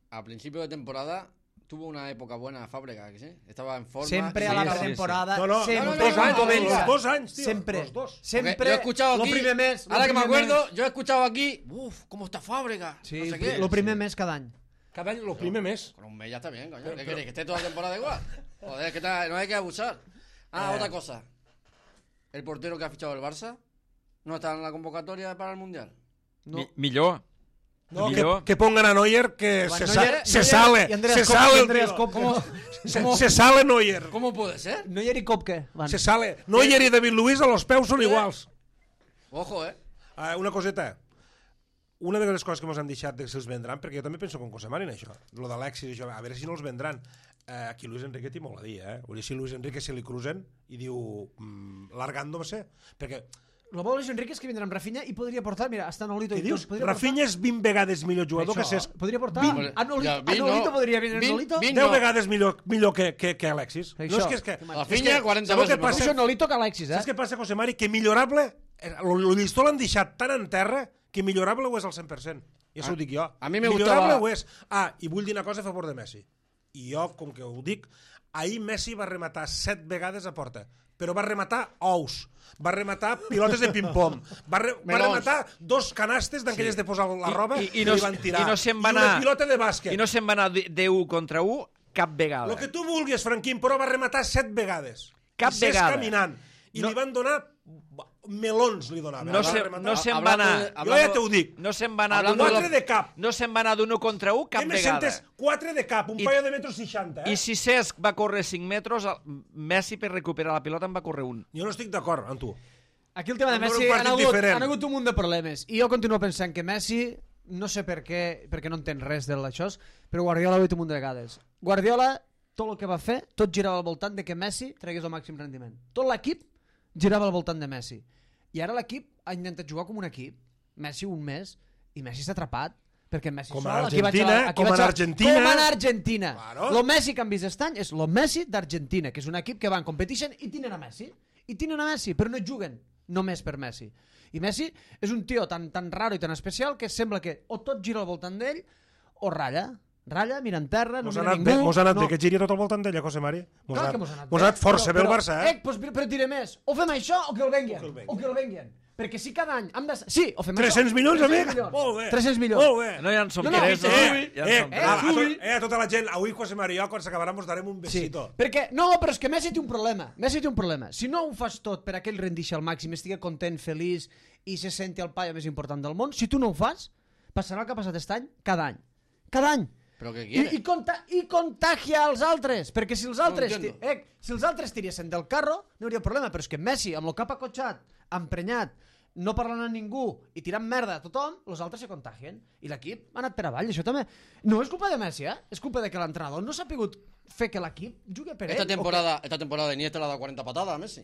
a principio de temporada, tuvo una época buena Fábregas, ¿que sí? Estaba en forma. Sempre y- a la sí, sí, pretemporada, No, no, sempre los no, dos no, anys, no, los venga. dos anys, tio. sempre, Los dos. Porque sempre, yo he escuchado lo aquí, primer mes, lo ahora que me primer acuerdo, mes. yo he escuchado aquí, uff, ¿cómo está Fábregas? Sí, no sé qué. lo primer mes cada any. Cada any, el primer mes. Con un mes ya está bien, coño. ¿Qué queréis? ¿Que esté toda la temporada igual? Joder, que ta- no hay que abusar. Ah, Eh. otra cosa. El portero que ha fichado el Barça no está en la convocatoria para el Mundial. No. Mi, millor. No, que, millor. que pongan a Neuer, que Bueno, se, Neuer- sa se Neuer sale, y Andreas se Kopke, sale el Andreas tío. Kopke. Se, se sale Neuer. ¿Cómo puede ser? Neuer i Kopke van. Se sale. Neuer i David Luiz a los peus són iguals. Ojo, eh. Uh, una coseta. Una de les coses que ens han deixat de si els vendran, perquè jo també penso com José Mari en això, lo d'Alexis, això, a veure si no els vendran. Uh, aquí Luis Enrique té molt a dir, eh? Vull dir, si Luis Enrique se li cruzen i diu, mm, largándose, perquè, Lo bo de Luis Enrique és que vindrà amb Rafinha i podria portar, mira, hasta Nolito. què i dius? tot, podria Rafinha és vint vegades millor jugador que Això, Cesc. podria portar Vint. a Nolito, Ja, a vint Nolito no. podria venir Vint- Nolito. vint deu no. vegades millor, millor que, que, que Alexis. Això. No és que és que... Rafinha, és que, quaranta sabeu veces què passa? Això Nolito que Alexis, eh? Saps què passa, José Mari? Que millorable, el llistó l'han deixat tan en terra que millorable ho és al cent per cent. I això A- ho dic jo. a mi me millorable gustava- ho és. Ah, i vull dir una cosa a favor de Messi. I jo, com que ho dic, ahir Messi va rematar set vegades a porta, però va rematar ous, va rematar pilotes de ping-pong, va, re, va Melons. rematar dos canastes d'aquelles Sí. de posar la roba I, i, i, no, li van tirar. i no se'n va I anar, una pilota de bàsquet. i no se'n va anar de- de u contra u cap vegada. El que tu vulguis, Franquín, però va rematar set vegades. Cap I ses vegada. caminant. I No. li van donar... melons li donaven. No Va se, rematar. no se'n va anar... Jo ja t'ho dic. No se'n va anar Hablando d'un... Quatre de cap. No se'n va anar d'un u contra un cap Què me vegada. sentes? Quatre de cap, un I- paio de metro seixanta, eh? I si Cesc va córrer cinc metres, el- Messi per recuperar la pilota en va córrer un. Jo no estic d'acord amb tu. Aquí el tema de Vam veure Messi un han partit hagut, diferent. han hagut un munt de problemes i jo continuo pensant que Messi, no sé per què, perquè no entén res de això, però Guardiola ho ha dit un munt de vegades. Guardiola, tot el que va fer, tot girava al voltant de que Messi tregués el màxim rendiment. Tot l'equip girava al voltant de Messi. I ara l'equip ha intentat jugar com un equip, Messi un mes, i Messi està atrapat, perquè Messi Com sol, a aquí vaig Argentina, a- aquí com vaig en a- Argentina. Com en Argentina. Claro. Lo Messi que han vist aquest any és lo Messi d'Argentina, que és un equip que va en competition i tenen a Messi. I tenen a Messi, però no juguen només per Messi. I Messi és un tio tan, tan raro i tan especial que sembla que o tot gira al voltant d'ell o ratlla. Ratlla, mira en terra, no Mos ha mira anat ningú. bé, mos ha anat no. bé que giri tot al voltant d'ella, José Mari. Mos Clar ha que anat- mos ha anat mos ha anat força bé el Barça, eh? Eh, pues, però et diré més. O fem això o que el venguin. O que el venguin. O que el venguin. Perquè si cada any hem de... Sí, o fem tres-cents això. milions, amic? milions. Molt bé. tres-cents milions. Molt bé. No, ja en som No, no, tres, que no? subi. Ja en Eh, som eh, tres. a, to, subi. eh, a tota la gent, avui José Mari i jo, quan s'acabarà, mos darem un Sí, besito. perquè, no, però és que Messi té un problema. Messi té un problema. Si no ho fas tot per a que ell rendixi al màxim, estigui content, feliç i se senti el paio més important del món, si tu no ho fas, passarà el que ha passat aquest any cada any. Cada any. Però què I, quiere? i, conta, I contagia als altres, perquè si els altres, No ti, entiendo. eh, si els altres tiressin del carro, no hi hauria problema, però és que Messi, amb el cap acotxat, emprenyat, no parlant a ningú i tirant merda a tothom, els altres se contagien. I l'equip ha anat per avall, això també. No és culpa de Messi, eh? És culpa de que l'entrenador no s'ha pogut fer que l'equip jugui per Esta ell. temporada, esta temporada Iniesta le ha dado cuarenta patadas a Messi.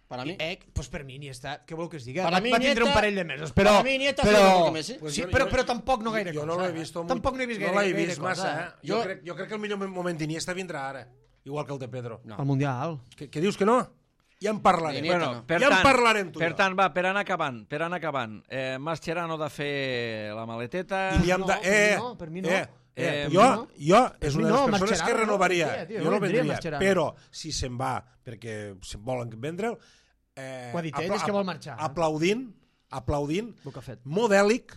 Para mí. Eh, pues per mi Iniesta, què vol que es digui? Para va, mi va tindre Iniesta- un parell de mesos, però... para mi Iniesta ha sido però, mejor que Messi. Pues sí, jo- però, jo- però tampoc no gaire jo cosa. no l'he eh? vist molt- Tampoc no he vist gaire, no l'he gaire vist cosa. massa, eh? Jo, Jo- crec, jo crec que el millor moment d'Iniesta vindrà ara, igual que el de Pedro. No. Al Mundial. Què, què dius que no? Ja en parlarem. Iniesta Bueno, no. per Ja en tant, parlarem, tu i per jo. tant, va, per anar acabant, per anar acabant. Eh, Mascherano de fer la maleteta... I li hem No, de... per mi Eh, no, per mi no. Eh, Eh, eh, jo, no. jo és mi una de les no, persones Mascherano que no renovaria. vendria, tio, jo no no vendria vendria, Mascherano. però si se'n va perquè se volen vendre'l... Eh, Ho ha dit ell, apla- és que vol marxar. Aplaudint, aplaudint, El que ha fet. modèlic,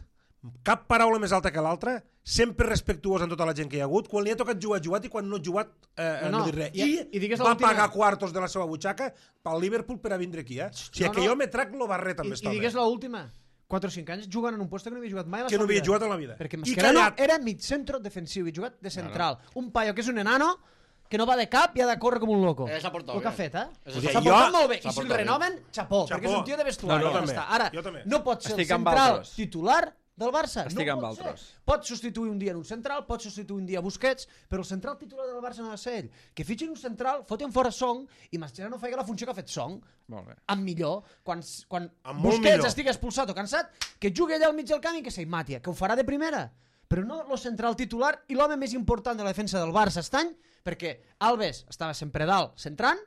cap paraula més alta que l'altra, sempre respectuós amb tota la gent que hi ha hagut, quan li ha tocat jugar, ha jugat, i quan no ha jugat, eh, No, no, no, no dir res. i- I, i digues va l'última- pagar quartos de la seva butxaca pel Liverpool per a vindre aquí, eh? O sigui, No, que no. jo me trac lo barret I, també i està digues bé. l'última. quatre o cinc anys jugant en un lloc que no havia jugat mai a la Que no seva havia vida. jugat en la vida. Perquè I Mascherano callat. era mig centro defensiu i jugat de central. Un paio que és un enano que no va de cap i ha de córrer com un loco. Eh, s'ha portat El que ha bé. fet, eh? Eso S'ha sí. portat Jo- molt bé. s'ha I si el portat bé. renoven, xapó, Xapó. perquè és un tio de vestuari. No, no, ja també. està. Ara, Jo també. no pot ser Estic el amb central altres. titular del Barça. Estic no amb pot ser. altres. Pot substituir un dia en un central, pot substituir un dia Busquets, però el central titular del Barça no ha de ser ell. Que fitxin un central, foten fora Song i Mascherano faci la funció que ha fet Song. Molt bé. Amb millor, quan, quan Amb molt Busquets millor. estigui expulsat o cansat, que jugui allà al mig del camp i que s'hi mati, que ho farà de primera. Però no el central titular i l'home més important de la defensa del Barça aquest any, perquè Alves estava sempre dalt centrant,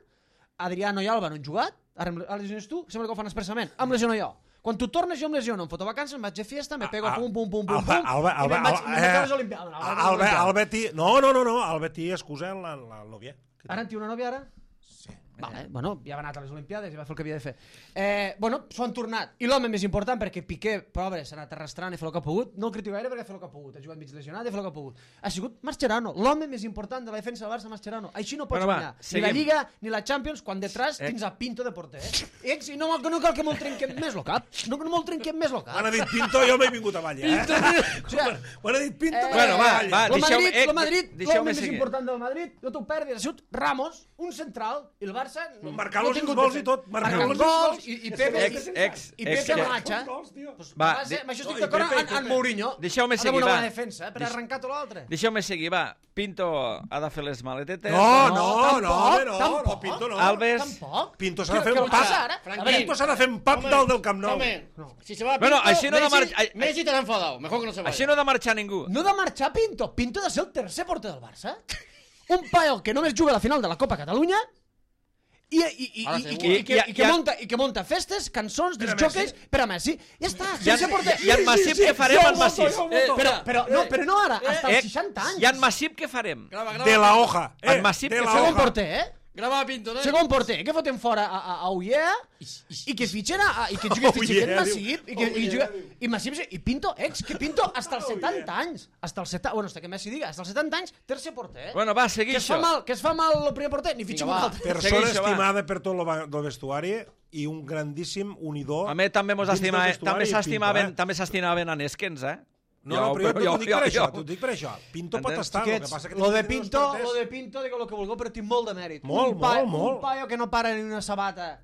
Adriano i Alba no han jugat, ara, em- ara lesiones tu, sembla que ho fan expressament, em lesiono jo. Quan tu tornes jo em lesiono, em foto vacances, em vaig de fiesta, me pego Ah, pum, pum, pum, pum, Alba, pum, Alba, i Alba, me'n vaig, Alba, i me'n vaig a les eh, Olimpiades. No, Alba, Alba, Alba Betty... No, no, no, no, el Betty excusa la, la nòvia. Ara en té una nòvia, ara? Sí. Vale, bueno, ja va anar a les Olimpiades i va fer el que havia de fer. Eh, bueno, s'ho han tornat. I l'home més important, perquè Piqué, pobre, s'ha anat arrastrant i fer el que ha pogut, no el critico gaire perquè ha fet el que ha pogut, ha jugat mig lesionat i ha fet el que ha pogut. Ha sigut Mascherano, l'home més important de la defensa del Barça, Mascherano. Així no pots Bueno, va, guanyar ni seguim. la Lliga ni la Champions quan detrás Eh. tens a Pinto de porter. Eh? I no, no cal que me'l trenquem més el cap. No, no me'l trenquem més el cap. Quan ha dit Pinto, jo m'he vingut avall, eh? O sigui, Quan ha dit Pinto, Eh, m'he Bueno, va, vingut va, avall. el deixeu- Madrid, eh, el Madrid, deixeu-me l'home més seguir. important del Madrid, no t'ho perdis, ha sigut Ramos, un central, i el Barça... No, Marcant no els ha tingut gols de i tot, fet. marcant Marcant els gols, gols. i, i Pepe... Ex, ex, i ex, Pepe ex. marxa. Gols, tio. Pues, Va, va, ser, de- amb això no, estic i d'acord Pepe, i amb, amb Pepe. Mourinho. Deixeu-me Ha de seguir, una va. bona defensa, eh, per Deix- arrencar tot l'altre. Deixeu-me seguir, va. Pinto ha de fer les maletetes. No, no, tampoc, no, home, no, no, tampoc. Pinto no. Alves. Tampoc. Pinto s'ha de Què- fer què un vol passar pap. ara? Franquín. A veure, Pinto s'ha de fer un pap dalt del Camp Nou. Hombre, si se va Bueno, Pinto, així no de Messi, marxa- ai- Messi estarà enfadado. Mejor que no se vaya. Així no ha de marxar ningú. No ha de marxar Pinto. Pinto ha de ser el tercer porter del Barça. Un paio que només juga a la final de la Copa Catalunya i, i, i, Ara i, i, segur. que, i, que, I- i, que i- monta, i que monta festes, cançons, Per a disjòqueis per a Messi. Ja està, I en, sense porter. i en Massip què farem jo en voto, Massip? jo voto. Eh, Però, però, no, però no ara, hasta eh, els seixanta anys. I en Massip què farem? Grava, grava. De la hoja. Eh, En Massip de que la Segon hoja. porter, eh? Grava a Pinto, no? Segon porter, que foten fora a, a, a Ullea i que fitxen a, i que jugui Oh, Xiquet yeah, Massip i que i juga, i Massip i Pinto ex, que Pinto hasta els setanta anys, hasta els setanta, bueno, hasta que Messi diga, hasta els setanta anys, tercer porter. Bueno, va, seguir que es això. fa mal, que es fa mal el primer porter, ni fitxa un va. altre. Persona Segueix, va. estimada per tot el vestuari i un grandíssim unidor. A mi també mos dins del estima, vestuari també i s'estimaven, Pinto, eh? també s'estimaven a Neskens, eh? No, no, però jo, jo, t'ho dic per això, t'ho dic per això. Pinto pot Entens? estar, el que Xiquets, passa que... lo de tinc dos Pinto, porters. lo de Pinto, digueu el que vulgueu, però tinc molt de mèrit. Molt, un paio, molt, molt. Un paio que no para ni una sabata,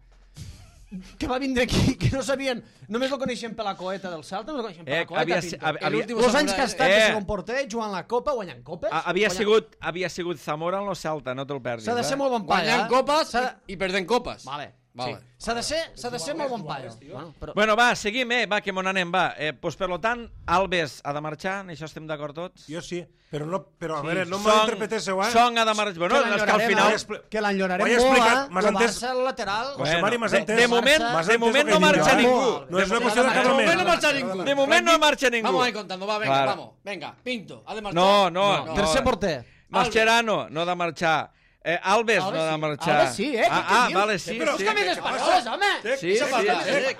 que va vindre aquí, que no sabien, només lo coneixien per la coeta del Celta, no lo coneixien per Eh, la coeta, havia- Pinto. havia- havia- Los anys que ha estat de Eh. segon porter, jugant la Copa, guanyant copes. A- Havia guanyant- sigut, havia sigut Zamora en lo Celta, no te'l perdis. S'ha de ser eh? molt bon paio, Guanyant eh? copes S'ha de... i, i perdent copes. Vale, Vale. sí. S'ha de ser, s'ha de ser molt bon paio. Bueno, però... Bueno, va, seguim, eh? Va, que mon anem, va. Eh, pues, per lo tant, Alves ha de marxar, en això estem d'acord tots? Jo sí, però, no, però a Sí. veure, no Song- m'interpretéssiu, eh? Song ha de marxar. Bueno, que és que al final... expli- que l'enyorarem Ho he molt, explicat, eh? m'has El entès? Barça, el lateral... José Mari, m'has de, entès? de moment, Barça- de moment no marxa ningú. No és una qüestió de De casament. moment no marxa ningú. De moment no marxa ningú. Vamos a ir contando, va, venga, Claro. vamos. Venga, Pinto, ha de marchar. No, no, no. Tercer porter. Mascherano no ha de marxar. Eh, Alves, Alves no ha de sí. marxar. Alves sí, eh? Ah, Què ah dius? vale, sí, Però sí. És que més espanyoles, home! Sí, Això sí, falta, sí. eh?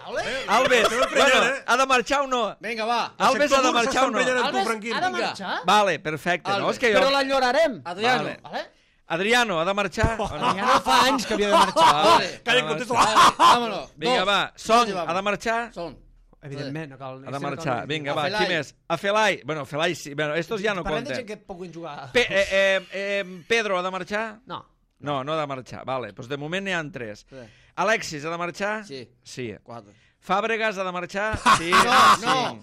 Alves, Te bueno, eh? ha de marxar o no? Venga, va. Alves ha de marxar o no? tu, Alves Franquín. ha de Vinga. marxar, Vale, perfecte. No, Alves. és que jo... però l'enyorarem. Adriano. Vale. Vale? Adriano ha de marxar o no? Ja no fa anys que havia de marxar. Vale. Calla, Ha de contesto. marxar. Vale, vámonos. Vinga, Dos. va. Dos Song llevamos. ha de marxar? Son. Evidentment, no cal... Ha de marxar. Vinga, A va. Felai. Qui més? A Felai. Bueno, Felai sí. Bueno, estos ja no Parlem de gent compten. que puguin jugar... Pe eh, eh, eh, Pedro ha de marxar? No. No, no ha de marxar. Vale, doncs de moment n'hi ha tres. Sí. Alexis ha de marxar? Sí. Sí. Cuatro. Fàbregas ha de marxar? Sí. No, sí. no.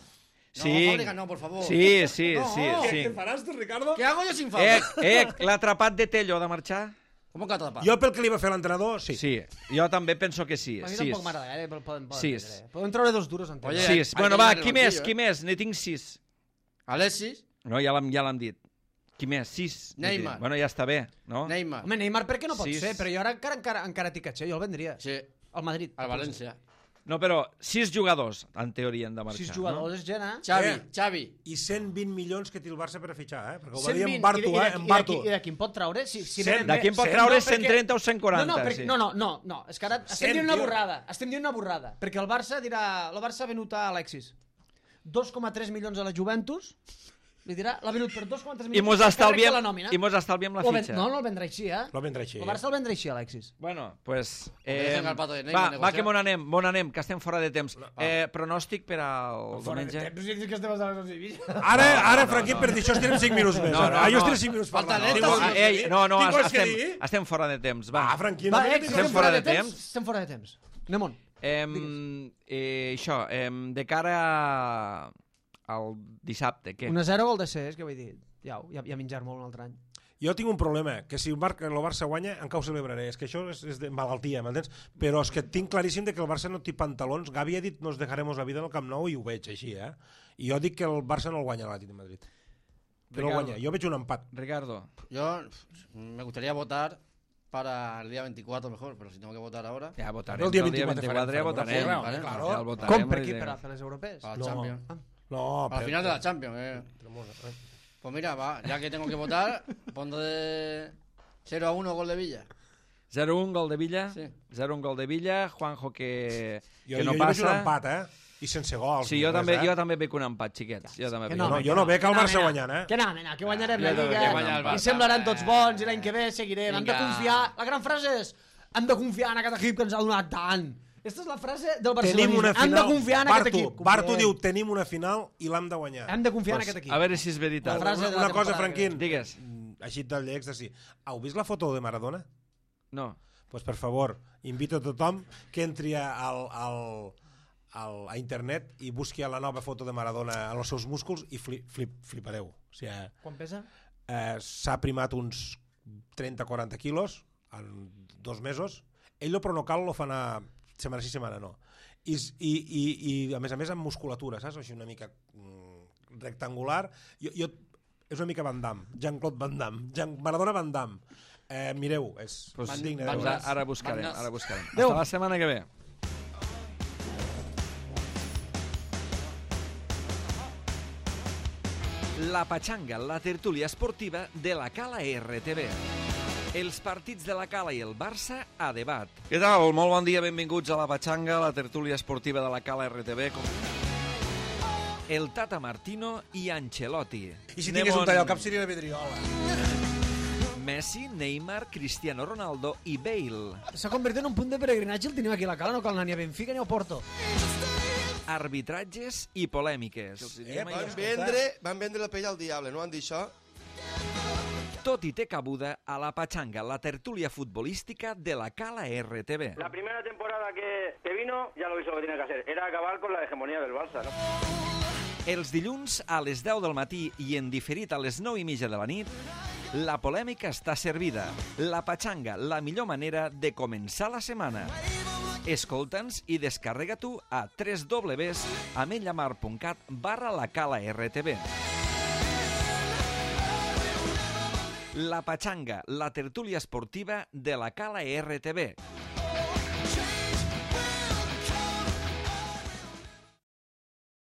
Sí. No, Fábregas no, por favor. Sí, sí, No. sí, sí. Què faràs tu, Ricardo? ¿Qué hago yo sin Eh, Fábregas? eh, l'atrapat de Tello ha de marxar? ¿Cómo que atrapa? Jo pel que li va fer l'entrenador, sí. Sí, jo també penso que sí. A mi Sis. tampoc m'agrada gaire, però poden, poden, Sis. prendre. Poden treure dos duros en Oye, temps. Sis. hay Bueno, que va, llenar el qui més? banquillo, Qui eh? més? Ne tinc sis. Alexis, No, ja l'han ja l'han dit. Qui més? Sis. Ne tinc. Neymar. Bueno, ja està bé, no? Neymar. Home, Neymar per què no pot Sis. ser? Però jo ara encara, encara, encara t'hi catxer, jo el vendria. Sí. Al Madrid. Al Valencia. No, però sis jugadors, en teoria, han de marxar. Sis jugadors, és gent, eh? Xavi, Eh. Xavi. I cent vint milions que té el Barça per a fitxar, eh? Perquè ho va cent dir vint, en Bartu, i de- eh? i de- En i de Bartu. qui- I de qui en pot treure? Si, si Cent. venen De bé- qui en pot cent, treure no, cent trenta o cent quaranta? No, no, perquè, sí. no, no, no, no, és que ara estem Cent, dient una tio. borrada, estem dient una borrada, perquè el Barça dirà, el Barça ha venut a Alexis dos coma tres milions a la Juventus, li dirà, l'ha venut per dos coma tres I milions mos per càrrec de estalviem, la nòmina. i mos estalviem la O ven- fitxa. No, no el vendrà així, eh? Lo vendrà així. El Barça el vendrà així, Alexis. Bueno, pues... Porque Eh, dejen al pato de Neymar va, va, negociar. que mon anem, mon anem, que estem fora de temps. Eh, pronòstic per al diumenge? que estem a les Sevilla. Ara, ara, Franquín, per dir això estirem cinc minuts més. No, no, Ah, jo no. estirem cinc minuts Falta parlant. neta, Tinc sí. coses Ah, que ei, dir. no, no, Tinc coses que estem, dir. estem fora de temps, va. Ah, Franquín, Va, no eh, tinc que Estem coses fora que de dir. temps. Estem fora de temps. Anem on? Eh, eh, això, eh, de cara a- al dissabte, què? un a zero vol de ser, és que vull dir, ja, ja, ja menjar molt un altre any. Jo tinc un problema, que si el, Bar el Barça guanya, encara ho celebraré. És que això és, és de malaltia, m'entens? Però és que tinc claríssim de que el Barça no té pantalons. Gavi ha dit nos dejaremos la vida en el Camp Nou i ho veig així, eh? I jo dic que el Barça no el guanya l'Atlètic de Madrid. Que no el Ricardo. guanya. Jo veig un empat. Ricardo. Yo me gustaría votar para el día veinticuatro mejor, pero si tengo que votar ahora, Ja votarem. El dia El dia vint-i-quatre vint-i-quatre ja farem, votarem. farem, vale, claro. Ja el votarem. Com per vull qui? dir. Per a fer les europees? para la No. Champions. No, Para el final de la Champions. Eh. eh. Pues mira, va, ya que tengo que votar, pondré cero a uno gol de Villa. zero un gol de Villa. Sí. zero un gol de Villa. Juanjo que, Jo, que no jo, jo veig un passa. empat, eh? I sense gols. Sí, jo ni també, res, eh? jo també veig un empat, xiquets. Jo també Que veig no, un No, empat. jo no veig el Que no, Barça nena, guanyant, eh? Que no, nena, que guanyarem Ja, la ja, Lliga. que guanya el I Barça. semblaran tots bons i l'any que ve seguirem. Hem de Vinga. confiar. La gran frase és hem de confiar en aquest equip que ens ha donat tant. Aquesta és la frase del barcelonisme. Tenim una Hem final. de confiar en Bartu, aquest equip. Bartu Confiem. diu, tenim una final i l'hem de guanyar. Hem de confiar en aquest equip. A veure si és veritat. La frase una, de la una cosa, temporada Franquín. Digues. Mm, Així del llecs de sí. Heu vist la foto de Maradona? No. Pues per favor, invito a tothom que entri al, al, al, a internet i busqui la nova foto de Maradona en els seus músculs i flip, flip, flipareu. O sigui, Quan pesa? eh, s'ha primat uns trenta a quaranta quilos en dos mesos. Ell però no cal, lo fa anar setmana sí, setmana no. I, i, i, i a més a més amb musculatura, saps? Així una mica mm, rectangular. Jo, jo, és una mica Van Damme, Jean-Claude Van Damme, Jean, Maradona Van Damme. Eh, mireu, és Pues, pues, digne. doncs de veure. ara, ara buscarem, Bandas. ara buscarem. Adéu. Hasta la setmana que ve. La Pachanga, la tertúlia esportiva de la Cala R T V. Els partits de la Cala i el Barça a debat. Què tal? Molt bon dia, benvinguts a la Patxanga, la tertúlia esportiva de la Cala R T B. El Tata Martino i Ancelotti. I si tingués un tall al cap seria la Vidriola. Messi, Neymar, Cristiano Ronaldo i Bale. S'ha convertit en un punt de peregrinatge, el tenim aquí a la Cala, no cal anar ni a Benfica ni a Porto. Arbitratges i polèmiques. Eh, van, vendre, van vendre la pell al diable, no van dir això? Tot i té cabuda a la Patxanga, la tertúlia futbolística de la Cala R T B. La primera temporada que, que vino, ya lo hizo lo que tenía que hacer. Era acabar con la hegemonía del Barça, ¿no? Els dilluns a les deu del matí i en diferit a les nou i mitja de la nit, la polèmica està servida. La Patxanga, la millor manera de començar la setmana. Escolta'ns i descarrega-t'ho a w w w punt ametlllamar punt cat barra la Cala R T B. La Patxanga, la tertúlia esportiva de la Cala R T B.